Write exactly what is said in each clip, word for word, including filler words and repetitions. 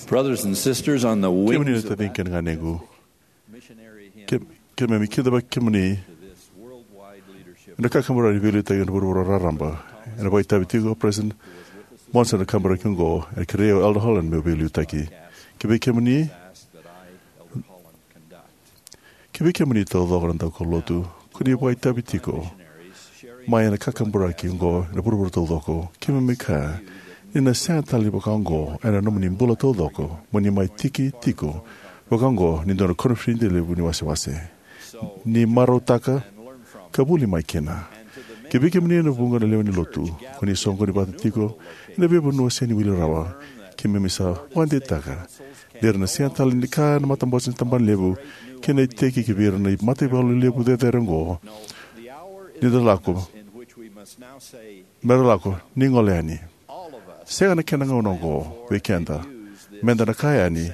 Brothers and sisters, on the wings of that, kemuni na taciqu kei na ganequ, missionary hymn, ke-, keimami kidavaki kemuni to this worldwide leadership. Ena kakaburaki ni veiliutaki ena vuravura raraba. Ena vakaitavi tiko o President Monson ena kakaburaki oqo, ena kerei au o Elder Holland meu veiliutaki. Kivei kemuni, ask that I, Elder Holland, conduct. Kivei kemuni taucoko na daukaulotu ko ni vakaitavi tiko mai ena kakaburaki oqo ena vuravura taucoko, keimami kaya ni na sega tale ni vaka oqo ena nomuni bula taucoko mo ni mai tiki tiko vaka oqo ni dua na koniferedi levu ni wasewase. Ni marautaka ka vuli mai kina. Kivei kemuni na vuqa na lewe ni lotu ko ni soqoni vata tiko ena veivanua sega ni wili rawa, keimami sa vakadeitaka ni ra na sega tale ni kaya na matabose ni tabana levu kei na iteki kivei ira na mataivalu levu cecere oqo ni da lako, me ra lako, ni gole yani. Sega na kena gauna oqo vei keda me da na kaya yani,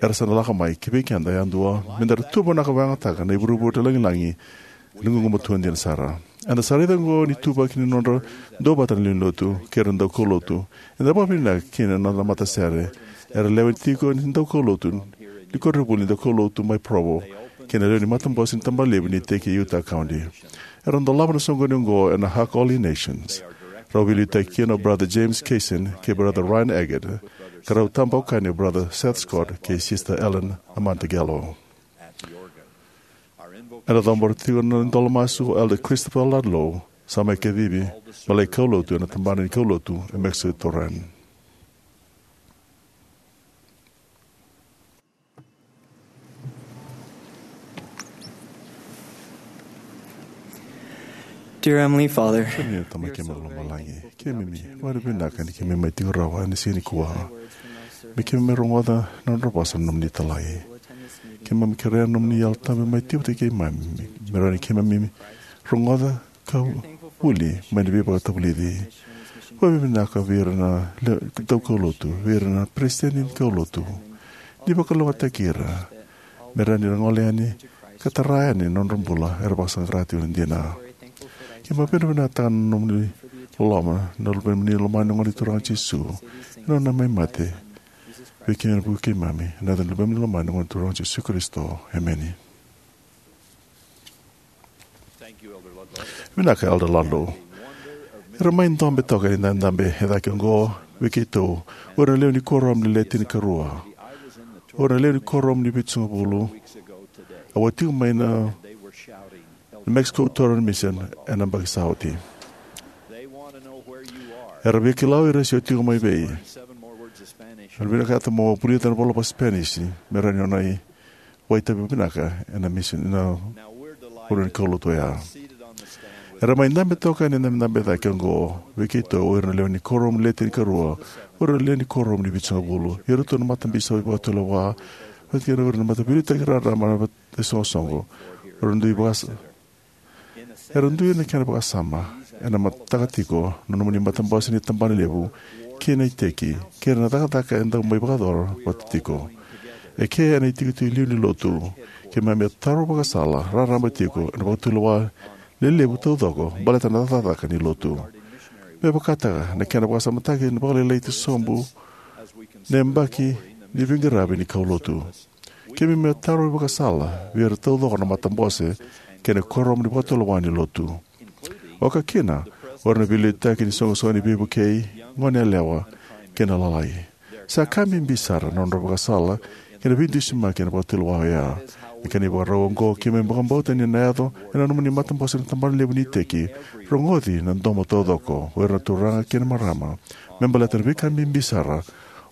era sa na lako mai. Kivei keda yadua me da ra tuvanaka vakayagataka na ivurevure lagilagi ena gugumatua dina sara. Eda sa raica oqo na ituvaki ni nodra duavata na lewe ni lotu kei ira na daukaulotu. Eda vakavinavinaka kina na noda matasere era lewe tiko ni daukaulotu ni koronivuli ni daukaulotu mai Provo. kei na lewe ni matabose ni tabana levu ni iteki e Utah County. Era dolava na soqoni oqo ena Hakoli Nations. Rau veiliutaki kina o Brother James Kaysen kei Brother Ryan Eggett, ka rau tabokani o Brother Seth Scott kei Sister Ellen Amantagello. Ena cabora tiko na idola masu o Elder Christopher Ludlow, sa mai kacivi me lai kaulotu ena tabana ni kaulotu e Mexico Torreon. Dear Heavenly Father, kemuni na Tamai keimami mai lomalagi, keimami vakavinavinaka ni keimami mai tiko rawa ena siga nikua. Me keimami rogoca na nodra vosa na nomuni italai. Keimami kerea na nomuni Yalo Tabu me mai tiko vata kei keimami, me rawa ni keimami rogoca ka vuli mai na veivakatavulici. Vakavinavinaka vei ira na le-, daukaulotu, vei ira na peresitedi ni kaulotu, ni vakalougatataki ira me rawa ni ra gole yani ka tara yani na nodra bula era vakasaqara tiko na dina. Keimami vakavinavinakataka na nomuni loloma, na luvemuni lomani na Gone Turaga o Jisu, ena nona mai mate vei kemuni, vei keimami, ena yaca ni luvemuni lomani na Gone Turaga o Jisu Karisito. Emeni. Vinaka, Elder Ludlow. Era mai dabe toka ni dabedabe e cake oqo vei keitou o ira na lewe ni kuoramu ni Le Tinikarua, o ira na lewe ni kuoramu ni Vitusagavulu. Au a tiko mai na Mexico Torreon Mission ena yabaki sa oti. Era via kila o ira se o tiko mai vei. Era vinakata mo vulica na ivola vaka-Spanish me rawa ni o na vakaitavi vinaka ena mission, ena vanua ni kaulotu oya. Era mai dabe toka ni dabedabe e cake oqo vei keitou o ira na lewe ni kuoramu ni Le Tinikarua, o ira na lewe ni kuoramu ni Vitusagavulu, iratou na matabisopi vakatulewa, vata kei ira na mataveiliutaki raraba na isoqosoqo. Era dui vakasa-, era dui na kena vakasama ena mataka tiko na nomuni matabose ni tabana levu kei na iteki, kei ira na cakacaka e dau mai vakayacora vata tiko. E ke ena itikotiko liu ni lotu, keimami a taro vakasala raraba tiko ena vakatulewa lelevu taucoko baleta na cakacaka ni lotu. Me vakataka na kena vakasamataki na vakalailai tu sobu na yabaki ni veiqaravi ni kaulotu. Keimami a taro vakasala vei ira taucoko na matabose kei na kuoramu ni vakatulewa ni lotu, oka kina o ira na veiliutaki ni soqosoqo ni veivukei, gone yalewa kei na lalai. Sa ka bibi sara na nodra vakasala kei na veidusimaki ena vakatulewa oya. Ena kena ivakarau oqo, keimami vakabauta ni na yaco ena nomuni matabose na tabana levu ni iteki, rogoci na domo taucoko o ira na turaga kei na marama me baleta na veika bibi sara,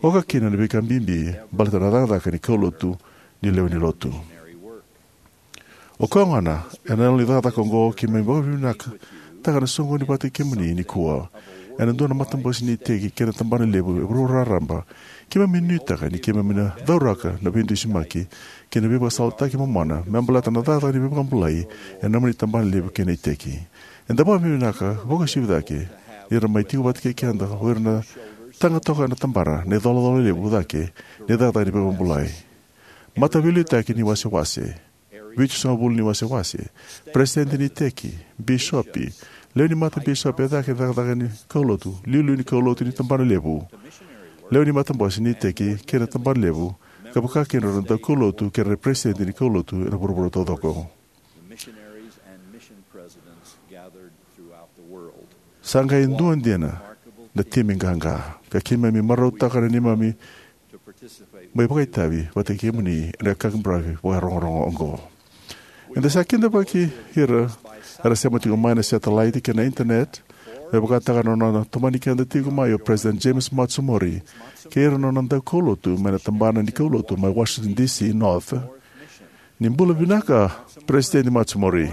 oka kina na veika bibi baleta na cakacaka ni kaulotu ni lewe ni lotu. O koya gona, ena yalo ni cakacaka oqo, keimami vakavinavinakataka na soqoni vata kei kemuni nikua ena dua na matabose ni iteki kei na tabana levu e vuravura raraba. Keimami nuitaka ni keimami na cauraka na veidusimaki kei na veivakasalataki momona me baleta na cakacaka ni veivakabulai ena nomuni tabana levu kei na iteki. Eda vakavinavinaka vakauasivi cake ni ra mai tiko vata kei keda o ira na taga toka ena tabana na icolacola levu cake ni cakacaka ni veivakabulai. Mataveiliutaki ni wasewase, vitusagavulu ni wasewase, peresitedi ni iteki, bisopi, lewe ni matabisopi e cake ni cakacaka ni kaulotu, iliuliu ni kaulotu ni tabana levu, lewe ni matabose ni iteki kei na tabana levu, ka vaka kina o ira na daukaulotu kei ira na peresitedi ni kaulotu ena vuravura taucoko. Sa qai dua dina na timi qaqa, ka keimami marautaka na neimami mai vakaitavi vata kei kemuni ena kakabaravi vakarogorogo oqo. Eda sa kidavaki ira era sema tiko mai na satellite kei na internet, me vakataka na nona tomani keda tiko mai o President James Matsumori kei ira na nona daukaulotu mai na tabana ni kaulotu mai Washington D C North. Ni bula vinaka, President Matsumori.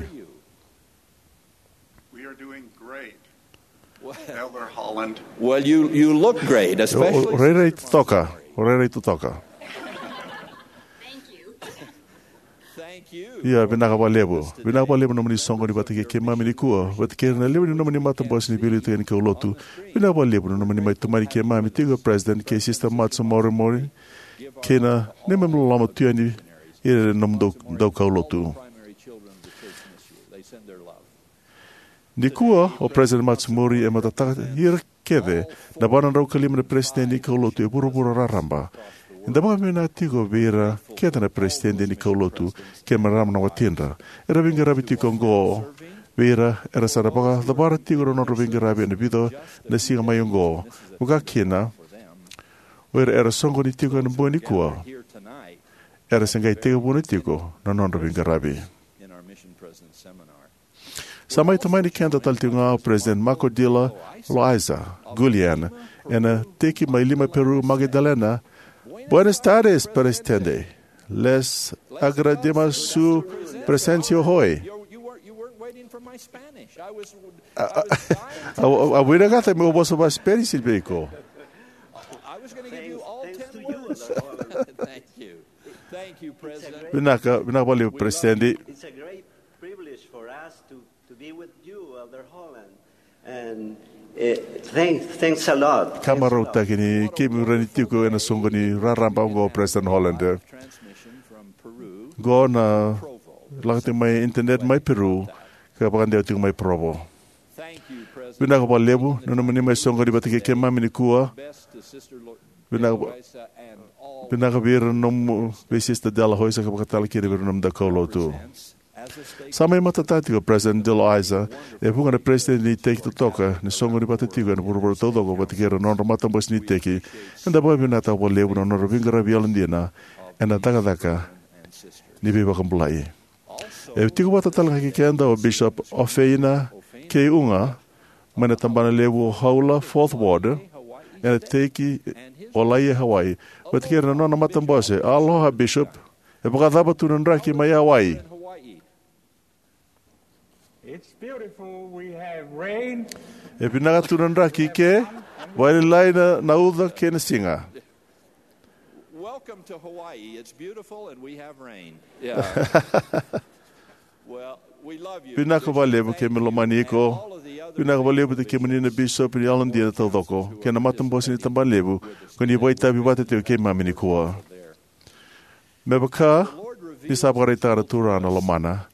We are doing great, Elder Holland. Well, you, you look great, especially. O, o rairai totoka, o rairai totoka. Ia, vinaka vakalevu. Vinaka vakalevu na nomuni soqoni vata kei keimami nikua, vata kei ira na lewe ni nomuni matabose ni veiliutaki ni kaulotu. Vinaka vakalevu na nomuni mai tomani keimami tiko, President kei Sister Matsumori, kei na neimami loloma tu yani ira na nomuni dau, daukaulotu. Nikua, o President Matsumori e matataka ira kece na va na drau ka lima na peresitedi ni kaulotu e vuravura raraba. Eda vakavinavinaka tiko vei ira kece na peresitedi ni kaulotu kei na marama na watidra era veiqaravi tiko oqo, vei ira era sa na vakacavara tiko na nodra veiqaravi ena vica na siga mai oqo, vakakina o ira era soqoni tiko ena bogi nikua era se qai tekivuna tiko na nodra veiqaravi. Sa mai tomani keda tale tiko ga o President Marco Dila Loaiza Gulian ena teki mai lima Peru, Magdalena. Buenas tardes, Presidente. Les agradecemos su presencia hoy. A, a, a, a, a vinagata meu vosa vakaSpanish vei iko. Vinaka, vinaka vakalevu, Presidente. Privilege for us to, to be with you, Elder Holland. And, eh, thanks, thanks a lot. Ka marautaki ni keimami rawa ni tiko ena soqo ni raraba oqo, President Holland. Qo na lako tiko mai internet mai Peru, ka vakadewa tiko mai Provo. Vinaka vakalevu na nomuni mai soqoni vata kei keimami nikua. Vinaka, vinaka vei ira na nomu vei Sister Dela Hoisa ka vakatale kina vei ira na nomu daukaulotu. Sa mai matata tiko o President Dela Hoisa, e vuqa na peresitedi ni iteki totoka ni soqoni vata tiko ena vuravura taucoko vata kei ira na nodra matabose ni iteki. Eda vakavinavinaka vakalevu na nodra veiqaravi yalodina ena cakacaka ni veivakabulai. E tiko vata tale ga kei keda o Bishop Ofeina K. Unga, mai na tabana levu o Haula, Fourth Ward, ena teki o Laie, Hawaii. Vata kei ira na nona matabose. Aloha, Bishop. E vakacava tu na draki mai Hawaii? It's beautiful. We have rain. E vinaka tu na draki ke, vakalailai na, na uca kei na siga. Welcome to Hawaii. It's beautiful and we have rain. Yeah. Well, we love you. Vinaka vakalevu, keimami lomani iko. Vinaka vakalevu vata kei kemuni na bisopi ni yalodina taucoko kei na matabose ni tabana levu ko ni vakaitavi vata tiko kei keimami nikua. Me vaka ni sa vakaraitaka na Turaga na lomana,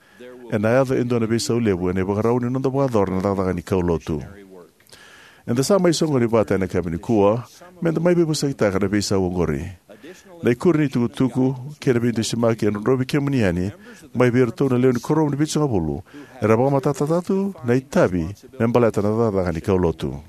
ena yaco e dua na veisau levu ena ivakarau ni noda vakayacora na cakacaka ni kaulotu. Eda sa mai soqoni vata ena yakavi nikua meda mai veivosakitaka na veisau oqori. Na ikuri ni tukutuku kei na veidusimaki e drodrovi kemuni yani mai vei iratou na lewe ni kuoramu ni vitusagavulu era vakamatatataka tu na itavi me baleta na cakacaka ni kaulotu.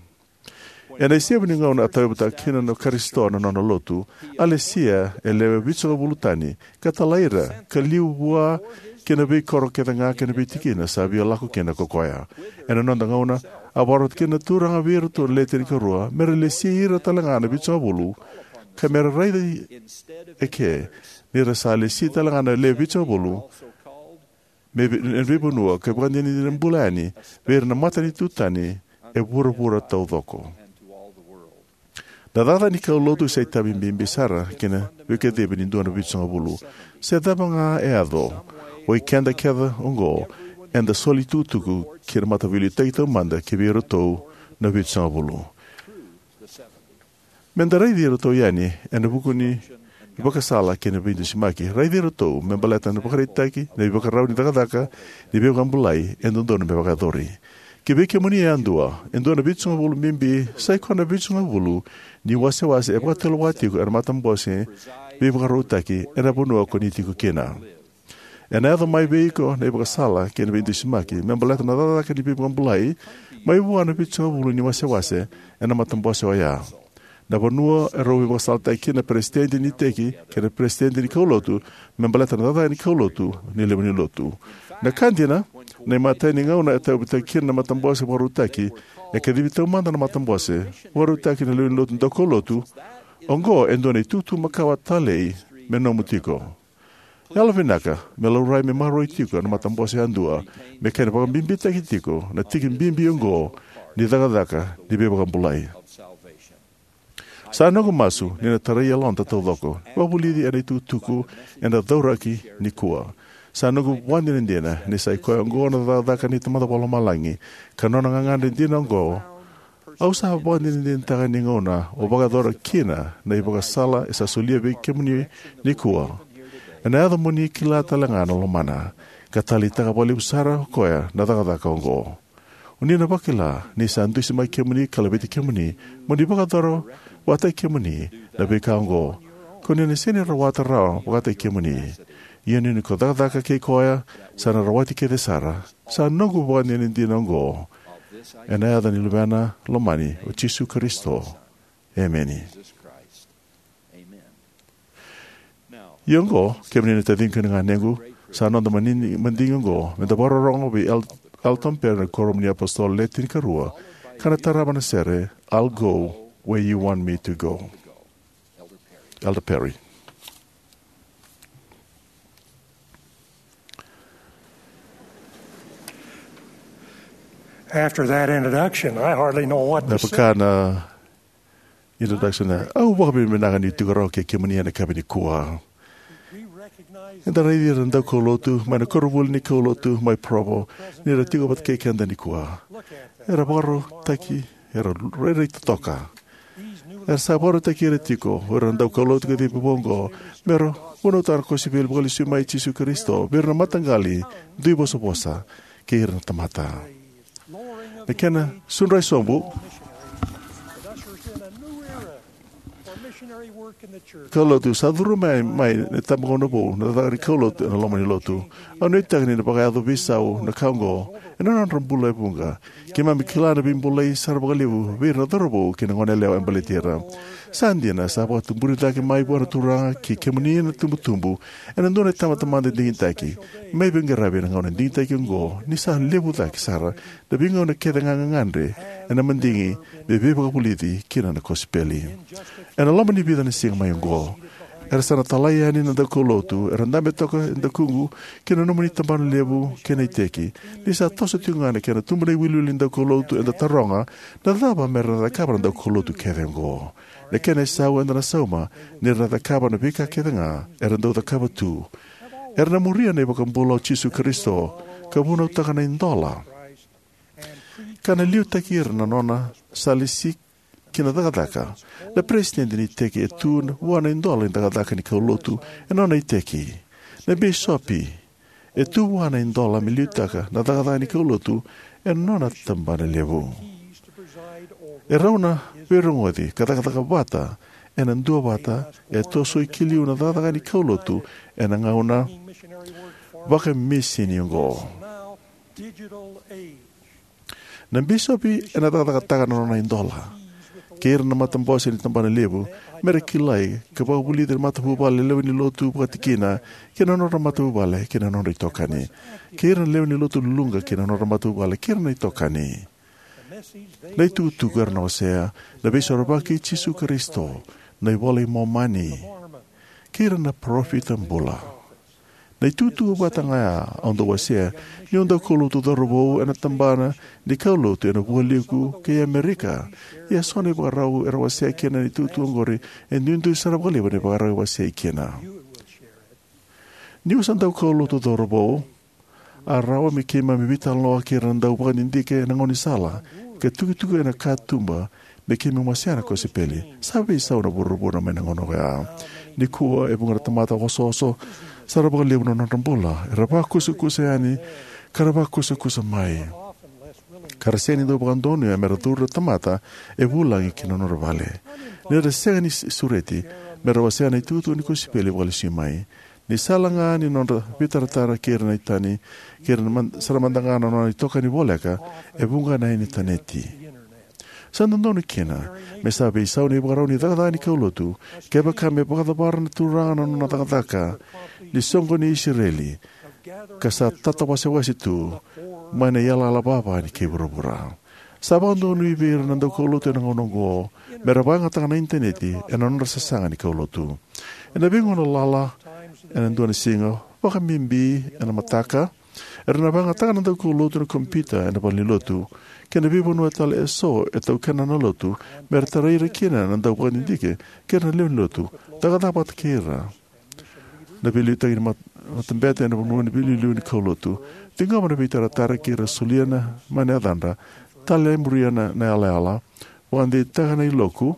Ena isevu ni gauna a tauyavutaka kina na Karisito na nona lotu, a lesia e lewe vitusagavulu tani ka talai ira ka liu vua ki na veikoro kece ga kei na veitikina sa via lako kina ko koya. Ena noda gauna, a vakarota kina na Turaga vei iratou na Le Tinikarua me ra lesi ira tale ga na vitusagavulu, ka me ra raici eke ni ra sa lesi tale ga na le vitusagavulu me vei, e veivanua ka ivakadinadina bula yani vei ira na matanitu tani e vuravura taucoko. Na cakacaka ni kaulotu sa itavi bibi sara kei na veikacivi ni dua na vitusagavulu. Se cava ga e yaco, o ikeda kece oqo eda soli tukutuku kei na mataveiliutaki taumada ki vei iratou na vitusagavulu. Meda raici iratou yani ena vuku ni ivakasala kei na veidusimaki. Raici iratou me baleta na ivakaraitaki, na ivakarau ni cakacaka ni veivakabulai e dodonu me vakayacori. Ki vei kemuni yadua, e dua na vitusagavulu bibi, sai koya na vitusagavulu ni wasewase e vakatulewa tiko ena matabose veivakarautaki ena vanua ko ni tiko kina. Ena yaco mai vei iko na ivakasala kei na veidusimaki me baleta na cakacaka ni veivakabulai mai vua na vitusagavulu ni wasewase ena matabose oya. Na vanua e rau veivakasalataki kina na peresitedi ni iteki kei na peresitedi ni kaulotu me baleta na cakacaka ni kaulotu ni lewe ni lotu. Na ka dina, na imatai ni gauna e tauyavutaki kina na matabose vakarautaki, e kacivi taumada na matabose vakarautaki na lewe ni lotu daukaulotu. Oqo e dua na itukutuku makawa talei me nomu tiko. Yalovinaka me laurai me maroroi tiko na matabose yadua me kena vakabibitaki tiko na tiki bibi oqo ni cakacaka ni veivakabulai. Sa noqu masu ni na tarai yaloda taucoko, vakavulici ena itukutuku eda cauraki nikua. Sa noqu vakadinadina ni sa i koya oqo na cakacaka ni Tamada Vakalomalagi, ka nona gagadre dina oqo. Au sa vakadinadinataka ni gauna o vakayacora kina na ivakasala e sa solia vei kemuni nikua, ena yaco mo ni kila tale ga na lomana ka taleitaka vakalevu sara o koya na cakacaka oqo. O ni na vakila ni sa dusimaki kemuni ka laveti kemuni mo ni vakayacora vakataki kemuni na veika oqo. Ko ni na sega ni rawata rawa vakataki kemuni. Ia ni ko cakacaka kei koya, sa na rawati kece sara. Sa noqu vakadinadina oqo. Ena yaca ni Luvena lomani, o Jisu Karisito. Emeni. Ia oqo, kemuni na taciqu kei na ganequ, sa noda mani-, madigi oqo, me da vakarorogo vei El-, Elton Perry na Kuoramu ni iApositolo Le Tinikarua, ka na tarava na sere, I'll Go Where You Want Me to Go. Elder Perry. After that introduction, I hardly know what Na to say. Vaka na introduction na, au vakavinavinaka ni tiko rawa kei kemuni ena yakavi nikua. Eda raici ira na daukaulotu mai na koronivuli ni kaulotu mai Provo, ni ra tiko vata kei keda nikua. Era vakarautaki, era rairai totoka. Era sa vakarautaki ira tiko o ira na daukaulotu kacivi vou oqo, me ra vunautaka na kosipeli vakalesui mai i Jisu Karisito vei ira na mataqali, duivosavosa, kei ira na tamata. Na kena sudrai sobu, kaulotu sa curu mai, mai na itabagauna vou, na cakacaka ni kaulotu ena loma ni lotu. Au nuitaka ni na vakayaco veisau na ka oqo ena nodra bula e vuqa. Keimami kila na veibulai sara vakalevu vei ira na cauravou kei na goneyalewa e baleti ira. Sa dina, sa vakatuburi cake mai vua na Turaga kei kemuni na itubutubu ena dua na itabatamata digitaki. Mai veiqaravi ena gauna digitaki oqo, ni sa levu cake sara na veigauna kece ga gagadre ena madigi me veivakavulici kina na kosipeli. Ena loma ni vica na siga mai oqo, era sa na talai yani na daukaulotu era dabe toka e dakuqu ki na nomuni tabana levu kei na iteki. Ni sa toso tiko ga na kena tubu na iwiliwili ni daukaulotu, eda taroga na cava me ra na cakava na daukaulotu kece oqo. Na kena isau eda na sauma ni ra na cakava na veika kece ga era dau cakava tu. Era na muria na iVakabula o Jisu Karisito ka vunautaka na idola, ka na liutaki ira na nona sa lesi ki na cakacaka. Na peresitedi ni iteki e tu vua na idola ni cakacaka ni kaulotu ena nona iteki. Na bisopi e tu vua na idola me liutaka na cakacaka ni kaulotu ena nona tabana levu. E rau na veirogoci ka cakacaka vata ena duavata e tosoi ki liu na cakacaka ni kaulotu ena gauna vakamisini oqo. Na bisopi ena cakacakataka na nona idola kei ira na matabose ni tabana levu, me ra kilai ka vakavulici ira na matavuvale, lewe ni lotu, vakatikina, kei na nodra matavuvale kei na nodra itokani, kei ira na lewe ni lotu luluqa kei na nodra matavuvale kei ira na itokani. Na itukutuku era na wasea, na Veisorovaki i Jisu Karisito, na iVola i Momani, kei ira na parofita bula. Na itukutuku vata ga ya au dau wasea niu dau kaulotu cauravou ena tabana ni kaulotu ena vualiku kei Amerika. Ia so na ivakarau era wasea kina na itukutuku oqori e duidui sara vakalevu na ivakarau e wasei kina. Niu sa dau kaulotu cauravou, a rawa me keimami veitalanoa kei ira na dau vakadidike ena gaunisala ka tukituki ena katuba me keimami wasea na kosipeli. Sa veisau na vuravura mai na gauna oya. Nikua e vuqa na tamata osooso sara vakalevu na nodra bula, era vakusakusa yani ka ra vakusakusa mai, ka ra sega ni dau vakadonuya me ra curu na tamata e vulagi ki na nodra vale. Ni ra sega ni s-, sureti me ra wasea na itukutuku ni kosipeli vakalesui mai. Ni sala ga ni nodra veitaratara kei ira na itani, kei ira na man-, sara mada ga na nona itokani voleka, e vuqa na initaneti. Sa dodonu kina me sa veisau na ivakarau ni cakacaka ni kaulotu kevaka me vakacavara na Turaga na nona cakacaka ni soqoni i Isireli, ka sa tatawasewase tu mai na iyalayala vava ni kei vuravura. Sa vakadonui vei ira na daukaulotu ena gauna oqo me ra vakayagataka na initaneti ena nodra sasaga ni kaulotu. Ena veigauna lala ena dua na siga, vakabibi ena mataka, era na vakayagataka na daukaulotu na kompiuta ena valenilotu kei na veivanua tale eso e taukena na lotu, me ra tarai ira kina na dau vakadidike kei ira na lewe ni lotu, cakacaka vata kei ira na veiliutaki ni mat-, matabete ena vanua ni veiliuliu ni kaulotu, ciqoma na veitaratara kei ira, solia na mai na yacadra, talemuria na, na yalayala, vakadeitaka na iloku,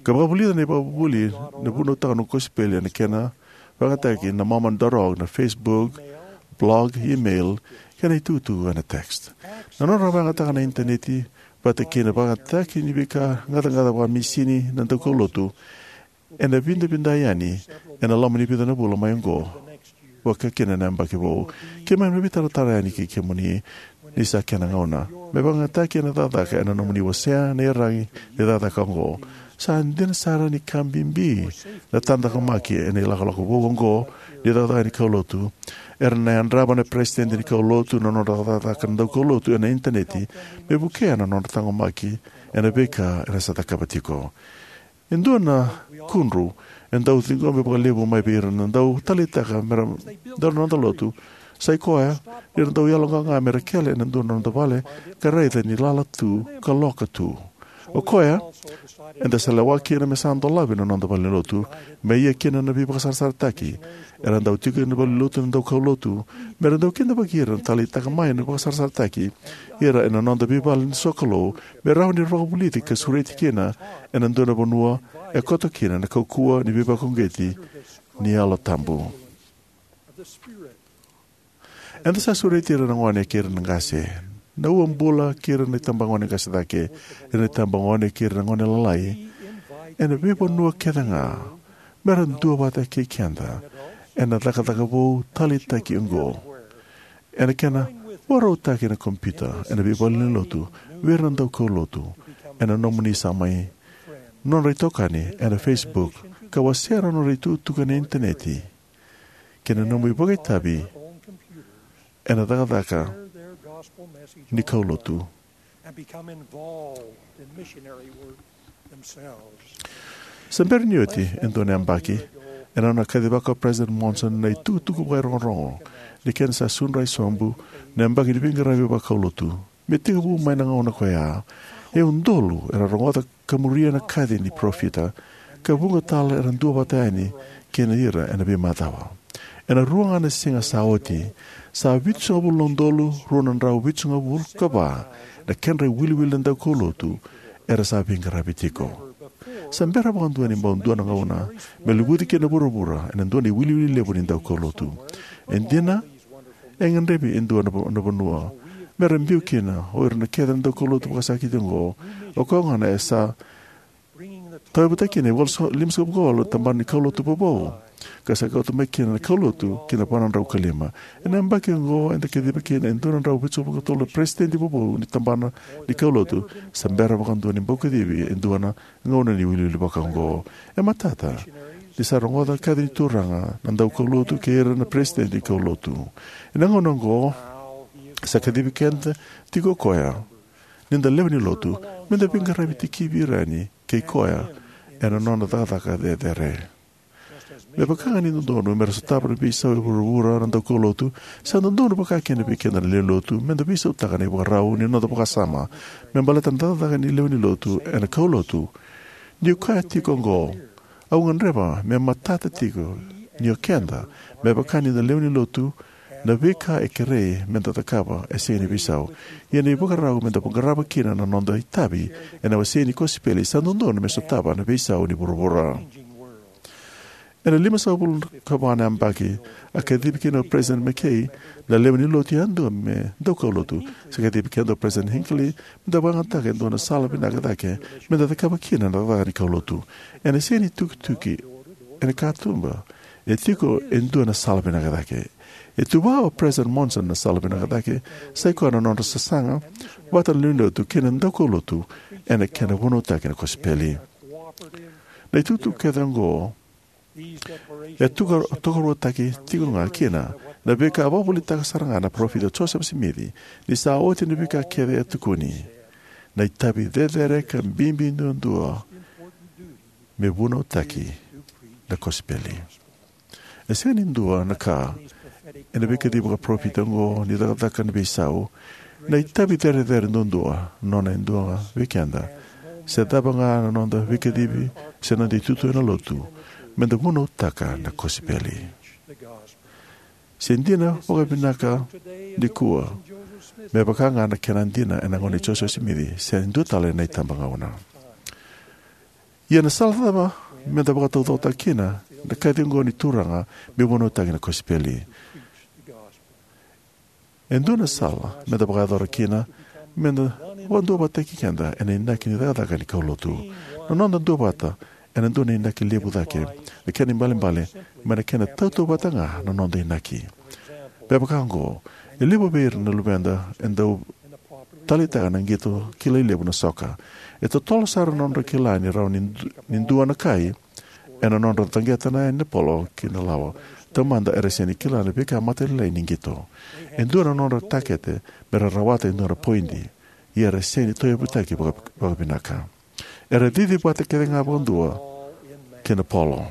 ka vakavulica na ivakavuvuli na vunautaka na kosipeli ena kena vakayagataki na Mormon dot org, na Facebook, blog, email, kei na itukutuku ena text. Na nodra vakayagataka na initaneti vata kei na vakayagataki ni veika gacagaca vakamisini na daukaulotu ena vidavidai yani ena loma ni vica na vula mai oqo, vaka kina na yabaki vou. Keimami na veitaratara yani kei kemuni ni sa kena gauna. Me vakayagataki ena cakacaka ena nomuni wasea na iyaragi ni cakacaka oqo. Sa dina sara ni ka bibi na taqomaki ena ilakolako vou oqo ni cakacaka ni kaulotu. Era na yadrava na peresitedi ni kaulotu na nodra cakacaka na daukaulotu ena initaneti me vukea na nodra taqomaki ena veika era sa cakava tiko. E dua na kudru e dau ciqomi vakalevu mai vei ira na dau taleitaka me ra dau na noda lotu. Sa i koya ni ra dau yaloqaqa me ra kele ena dua na noda vale ka raica ni lala tu ka loka tu. O koya, eda sa lewa kina me sa dolavi na noda valenilotu me ia kina na veivakasarasarataki. Era dau tiko ena valenilotu na daukaulotu me ra dau kidavaki ira na taleitaka mai na vakasarasarataki ira ena noda veivale ni sokalou, me rawa ni ra vakavulici ka sureti kina ena dua na vanua e koto kina na kaukauwa ni veivakauqeti ni Yalo Tabu. Eda sa sureti ira na gone kei ira na qase, na uabula kei ira na itabagone qase cake, ira na itabagone kei ira na gone lalai ena veivanua kece ga, me ra duavata kei keda ena cakacaka vou taleitaki oqo. Ena kena vakarautaki ena kompiuta ena veivale ni lotu vei ira na daukaulotu, ena nomuni sa mai nodra itokani ena Facebook, ka wasea na nodra itukutuku ena initaneti, kei na nomu ivakaitavi ena cakacaka ni kaulotu. Sa bera ni oti e dua na yabaki, ena nona kacivaka o President Monson na itukutuku vakairogorogo ni kena sa sudra e sobu na yabaki ni veiqaravi vakaulotu. Me tekivu mai na gauna koya, e udolu era rogoca ka muria na kaci ni parofita, ka vuqa tale era duavata yani kei ira ena veimacawa. Ena rua ga na siga sa oti, sa vitusagavulu na udolu rua na drau vitusagavulu ka va na kedra iwiliwili na daukaulotu era sa veiqaravi tiko. Sa bera vakadua ni bau dua na gauna me luvuci kina na vuravura ena dua na iwiliwili levu ni daukaulotu. E dina, e gadrevi e dua na va-, na vanua me ra biu kina o ira na kece na daukaulotu vakasakiti oqo. O koya gona e sa tauyavutaki kina e walu sa-, limasagavulu ka walu na tabana ni kaulotu vovou, ka sa kauta mai kina na kaulotu ki na va na drau ka lima. Ena yabaki oqo eda kaciva kina e dua na drau vitusagavulu ka tolu na peresitedi vovou ni tabana ni kaulotu. Sa bera vakadua ni bau kacivi e dua na gauna ni iwiliwili vaka oqo. E matata ni sa rogoca na kaci ni Turaga na daukaulotu kei ira na peresitedi ni kaulotu. Ena gauna oqo sa kacivi keda tiko o koya, ni da lewe ni lotu, me da veiqaravi tikivi ira yani kei koya ena nona cakacaka cecere. Me vaka ga ni dodonu me ra sotava na veisau e vuravura na daukaulotu, sa dodonu vaka kina vei keda na lewe ni lotu me da veisautaka na ivakarau ni noda vakasama me baleta na cakacaka ni lewe ni lotu ena kaulotu. Niu kaya tiko oqo, au gadreva me matata tiko ni o keda, me vaka ni da lewe ni lotu, na veika e kerei me da cakava e sega ni veisau. Ia na ivakarau me da qarava kina na noda itavi ena wasei ni kosipeli sa dodonu me sotava na veisau ni vuravura. Ena limasagavulu ka va na yabaki, a kacivi kina o President McKay na lewe ni lotu yadua me daukaulotu. Sa kacivi keda o President Hinckley me da vakayagataka e dua na sala vinaka cake me da cakava kina na cakacaka ni kaulotu. Ena sega ni tukituki ena katuba, e tiko e dua na sala vinaka cake. E tuva o President Monson na sala vinaka cake, sa i koya na nodra sasaga vata na lewe ni lotu kei na daukaulotu ena kena vunautaki na kosipeli. Na itukutuku kece oqo e tuka-, tokaruataki tiko ga kina na veika a vakavuvulitaka sara ga na parofita Joseph Smith, ni sa oti na veika kece e tukuni, na itavi cecere ka bibi duadua me vunautaki na kosipeli. E sega ni dua na ka ena veikacivi vakaparofita oqo ni cakacaka na veisau, na itavi cerecere duadua, nona e dua ga vei keda, se cava ga na noda veikacivi se noda itutu ena lotu, me da vunautaka na kosipeli. Se dina vakavinaka nikua me vaka ga na kena dina ena gauna i Joseph Smith, se dua tale na itabagauna. Ia na sala cava me da vakataucokotaka kina na kaci oqo ni Turaga me vunautaki na kosipeli? E dua na sala me da vakayacora kina me da vakaduavatataki keda ena inaki ni cakacaka ni kaulotu. Na noda duavata ena dua na inaki levu cake. Na kena ibalebale, mai na kena tautauvata ga na noda inaki. Me vaka oqo, e levu vei ira na luveda e dau taleitaka na qito kilai levu na soka. E totolo sara na nodra kila ni rawa ni du-, ni dua na kai ena nodra taqeta na yani polo ki na lawa. Taumada era sega ni kila na veika matailalai ni qito. E dua na nodra takete me ra rawata e dua na poidi. Ia era sega ni tauyavutaki vaka, vakavinaka. Era cici vata kece ga vakadua ki na polo.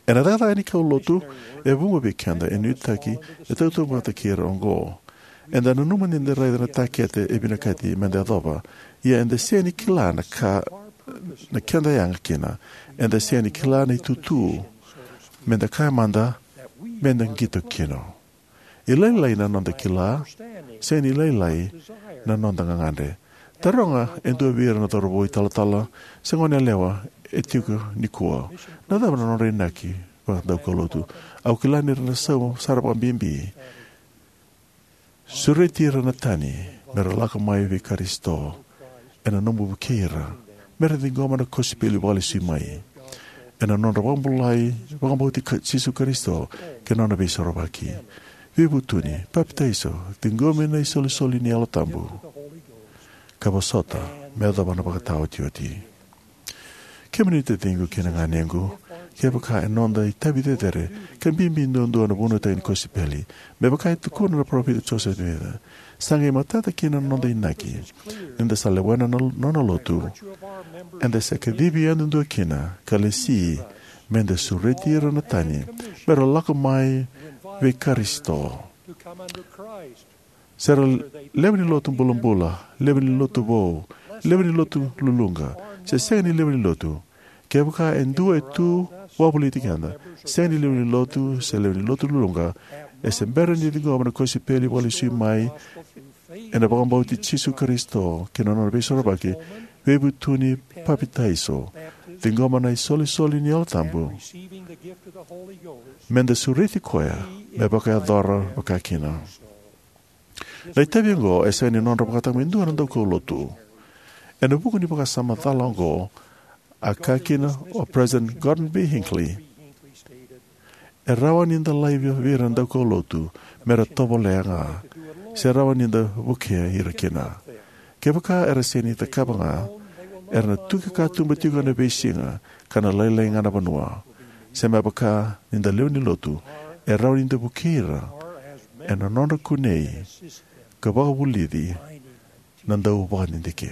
Ena cakacaka ni kaulotu, e vuqa vei keda e nuitaki e tautauvata kei ira oqo. Eda nanuma ni da raica na takete e vinakati meda yacova. Ia eda sega ni kila na ka na keda yaga kina. Eda sega ni kila na itutu meda kaya mada meda qito kina. E lailai na noda kila, sega ni lailai na noda gagadre. Taroga e dua vei ira na cauravou italatala se goneyalewa e tiko nikua, na cava na nodra inaki vakadaukaulotu. Au kila ni ra na sauma sara vakabibi. Sureti ira na tani me ra lako mai vei Karisito, ena nomu vukei ira me ra ciqoma na kosipeli vakalesui mai, ena nodra vakabulai, vakabauti Ka-, Jisu Karisito kei na nona veisorovaki. Veivutuni, papitaiso, ciqomi na isolisoli ni Yalo Tabu, ka vosota me yacova na vakataotioti. Kemuni taciqu kei na ganequ, kevaka e noda itavi cecere ka bibi duadua na vunautaki ni kosipeli, me vaka e tukuna na parofita Joseph Smith, sa qai matata kina na noda inaki ni da sa lewena na nona lotu. Eda sa kacivi yadudua kina ka lesi meda sureti ira na tani me ra lako mai vei Karisito. Se ra lewe ni lotu bulabula, lewe ni lotu vou, lewe ni lotu luluqa, se sega ni lewe ni lotu. Kevaka e dua e tu wavoliti keda, sega ni lewe ni lotu se lewe ni lotu luluqa, e se bera ni ciqoma na kosipeli vakalesui mai, ena vakabauti Jisu Karisito kei na nona veisorovaki, veivutuni, papitaiso, ciqoma na isolisoli ni Yalo Tabu, meda sureti koya me vakayacora vakakina. Na itavi oqo e sega ni nodra vakataka mai dua na daukaulotu. Ena vuku ni vakasama cala oqo, a kaya kina o President Gordon B. Hinckley, e rawa ni da laiva vei ira na daukaulotu me ra tovolea ga, se rawa ni da vukea ira kina. Kevaka era sega ni cakava ga, era na tuki katuba tiko ena veisiga ka na lailai ga na vanua. Se me vaka ni da lewe ni lotu, e rawa ni da vukei ira ena nodra kunei ka vakavulici na dau vakadidike.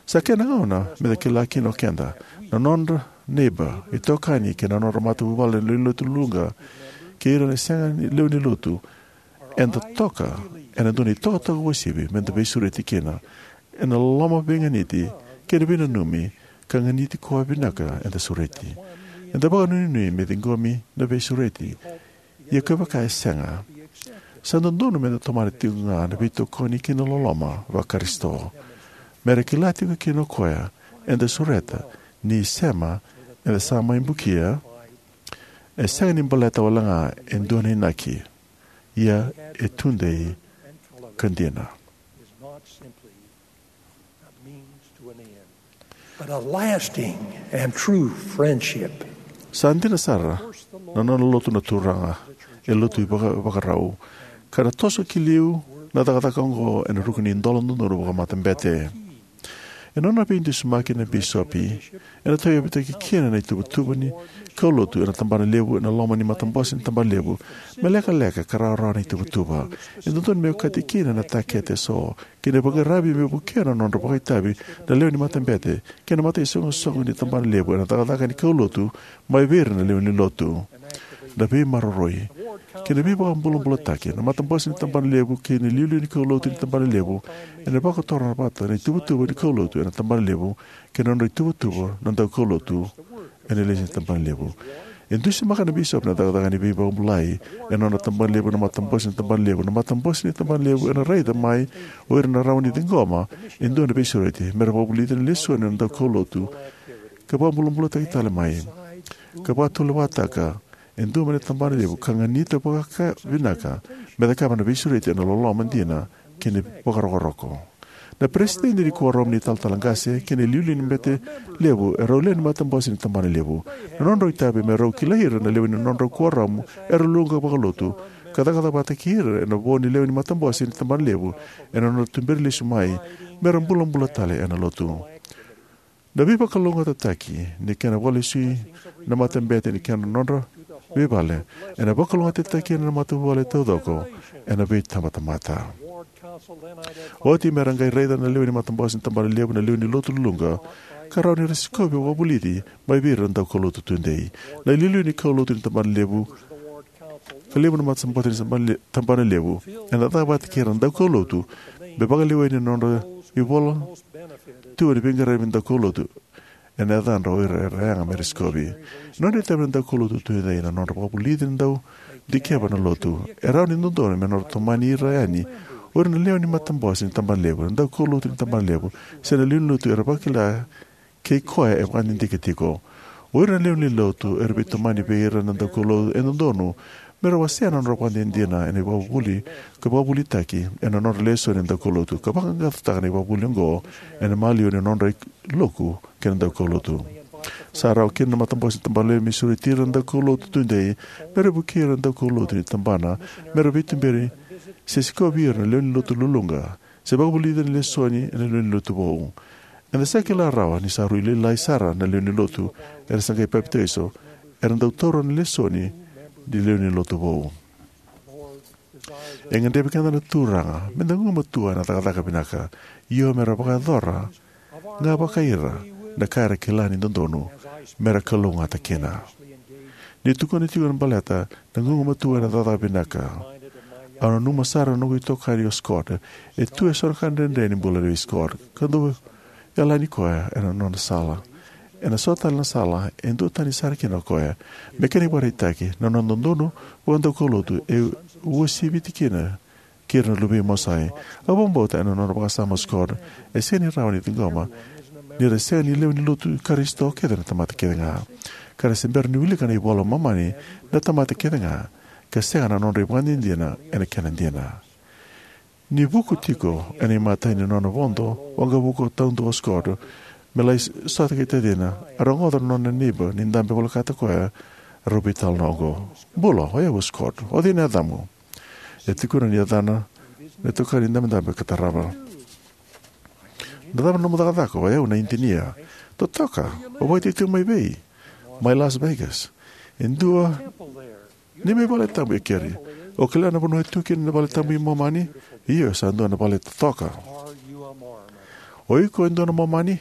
Sa kena gauna me da kila kina o keda, na nodra neiba, itokani kei na nodra matavuvale na lewe ni lotu luluqa, kei ira na sega ni lewe ni lotu, eda toka ena dua na itokatoka uasivi me da veisureti kina, ena loloma, veiganiti kei na veinanumi, ka ganiti koya vinaka eda sureti. Eda vakanuinui me ciqomi na veisureti. Ia kevaka e sega, sa dodonu me da tomana tiko ga na veitokoni kei na loloma vaKarisito, me ra kila tiko kina o koya eda sureta, ni sema eda sa mai bukia, e sega ni baleta wale ga e dua na inaki, ia e tudei ka dina. But a lasting and true friendship. Sa dina sara na nona lotu na Turaga, e lotu ivaka-, vakarau, ka na toso ki liu na cakacaka oqo ena ruku ni idola dodonu vakamatabete. E nona veidusimaki na bisopi, ena tauyavutaki kina na ituvatuva ni kaulotu ena tabana levu, ena loma ni matabose ni tabana levu, me lekaleka ka rawarawa na ituvatuva. E dodonu me okati kina na takete eso kei na veiqaravi me vukea na nodra vakaitavi na lewe ni matabete kei na mataisoqosoqo ni tabana levu ena cakacaka ni kaulotu mai vei ira na lewe ni lotu. Na veimaroroi kei na veivakabulabulataki na matabose ni tabana levu kei na iliuliu ni kaulotu ni tabana levu ena vakotora vata na ituvatuva ni kaulotu ena tabana levu kei na nodra ituvatuva na daukaulotu ena lesu ni tabana levu. E dusimaka na bisopi na cakacaka ni veivakabulai ena nona tabana levu, na matabose ni tabana levu. Na matabose ni tabana levu ena raica mai o ira na rawa ni ciqoma e dua na veisureti me ra vakavulici na lesoni na daukaulotu, ka vakabulabulataki tale mai, ka vakatulewataka e dua mai na tabana levu, ka ganita vakavinaka me cakava na veisureti ena loloma dina kei na vakarokoroko. Na peresitedi ni kuoramu ni talatala qase kei na iliuliu ni bete levu e rau lewe ni matabose ni tabana levu. Na nodrau itavi me rau kilai ira na lewe ni nodrau kuoramu era luqa vakalotu ka cakacaka vata kei ira ena vo ni lewe ni matabose ni tabana levu ena nodra tuberi lesu mai me ra bulabula tale ena lotu. Na veivakalougatataki ni kena vakalesui na matabete ni kena nodra veivale ena vakalougatataki ena matavuvale taucoko ena veitabatamata. Oti me ra qai raica na lewe ni matabose ni tabana levu na lewe ni lotu luluqa ka rawa ni ra sikovi vakavulici mai vei ira na daukaulotu tudei. Na iliuliu ni kaulotu ni tabana levu ka levu na matabose ni tabana le- tabana levu ena caka vata kei ira na daukaulotu me vakalewai ni nodra ivola tu ni veiqaravi ni daukaulotu ena yacadra o ira era yaga me ra sikovi. E nodra itavi na daukaulotu tudei na nodra vakavulici na dau dikeva na lotu. E rawa ni dodonu me nodra tomani ira yani o ira na lewe ni matabose ni tabana levu, na daukaulotu ni tabana levu, se na lewe ni lotu era vakila kei koya e vakadidike tiko. O ira na lewe ni lotu era veitomani vei ira na daukaulotu e dodonu me ra wasea na nodra vakadinadina ena ivakavuvuli ka vakavulitaki ena nodra lesoni na daukaulotu ka vaqaqacotaka na ivakavuvuli oqo ena maliwa ni nodra iloku kei na daukaulotu. Sa rawa kina na matabose ni tabana levu me sureti ira na daukaulotu tudei me ra vukei ira na daukaulotu ni tabana me ra veituberi se sikovi ira na lewe ni lotu luluqa se vakavulici na lesoni ena lewe ni lotu vou. Eda sa kila rawa ni sa rui lailai sara na lewe ni lotu era sa qai papitaiso era dau taura na lesoni ni lewe ni lotu vou. E gadrevi keda na Turaga me da gumatua ena cakacaka vinaka, io me ra vakayacora ga vakai ira na ka era kila ni dodonu me ra kalougata kina. Ni tukuna tiko na baleta na gugumatua ena cakacaka vinaka, au nanuma sara na noqu itokani o Scott e tu eso na ka dredre ni bula vei Scott ka dau yalani koya ena nona sala. Ena so tale na sala e duatani sara kina o koya. Me kena ivakaraitaki, na nona dodonu vakadaukaulotu e uasiviti kina kei ira na luvei Mosai. Au vakabauta ena nona vakasama o Scott e sega ni rawa ni ciqoma ni ra sega ni lewe ni lotu Karisito kece na tamata kece ga, ka ra se bera ni wilika na iVola i Momani na tamata kece ga ka sega na nodra ivakadinadina ena kena dina. Ni vuku tiko ena imatai ni nona vodo waqavuka taudua o Scott me lai sota kei tacina, a rogoca na nona neiba ni dabe volekata koya, rau veitalanoa oqo: "Bula, o yau o Scott. O cei na yacamu?" E tukuna ni yacana na itokani dabedabe ka tarava. "Na cava na nomu cakacaka?" "O yau na idinia." "Totoka, o vakaitaitau mai vei?" "Mai Las Vegas." "E dua neimami vale tabu e keri. O kila na vanua e tu kina na vale tabu i Momani?" "Io, sa dua na vale totoka." "O iko e dua na Momani?"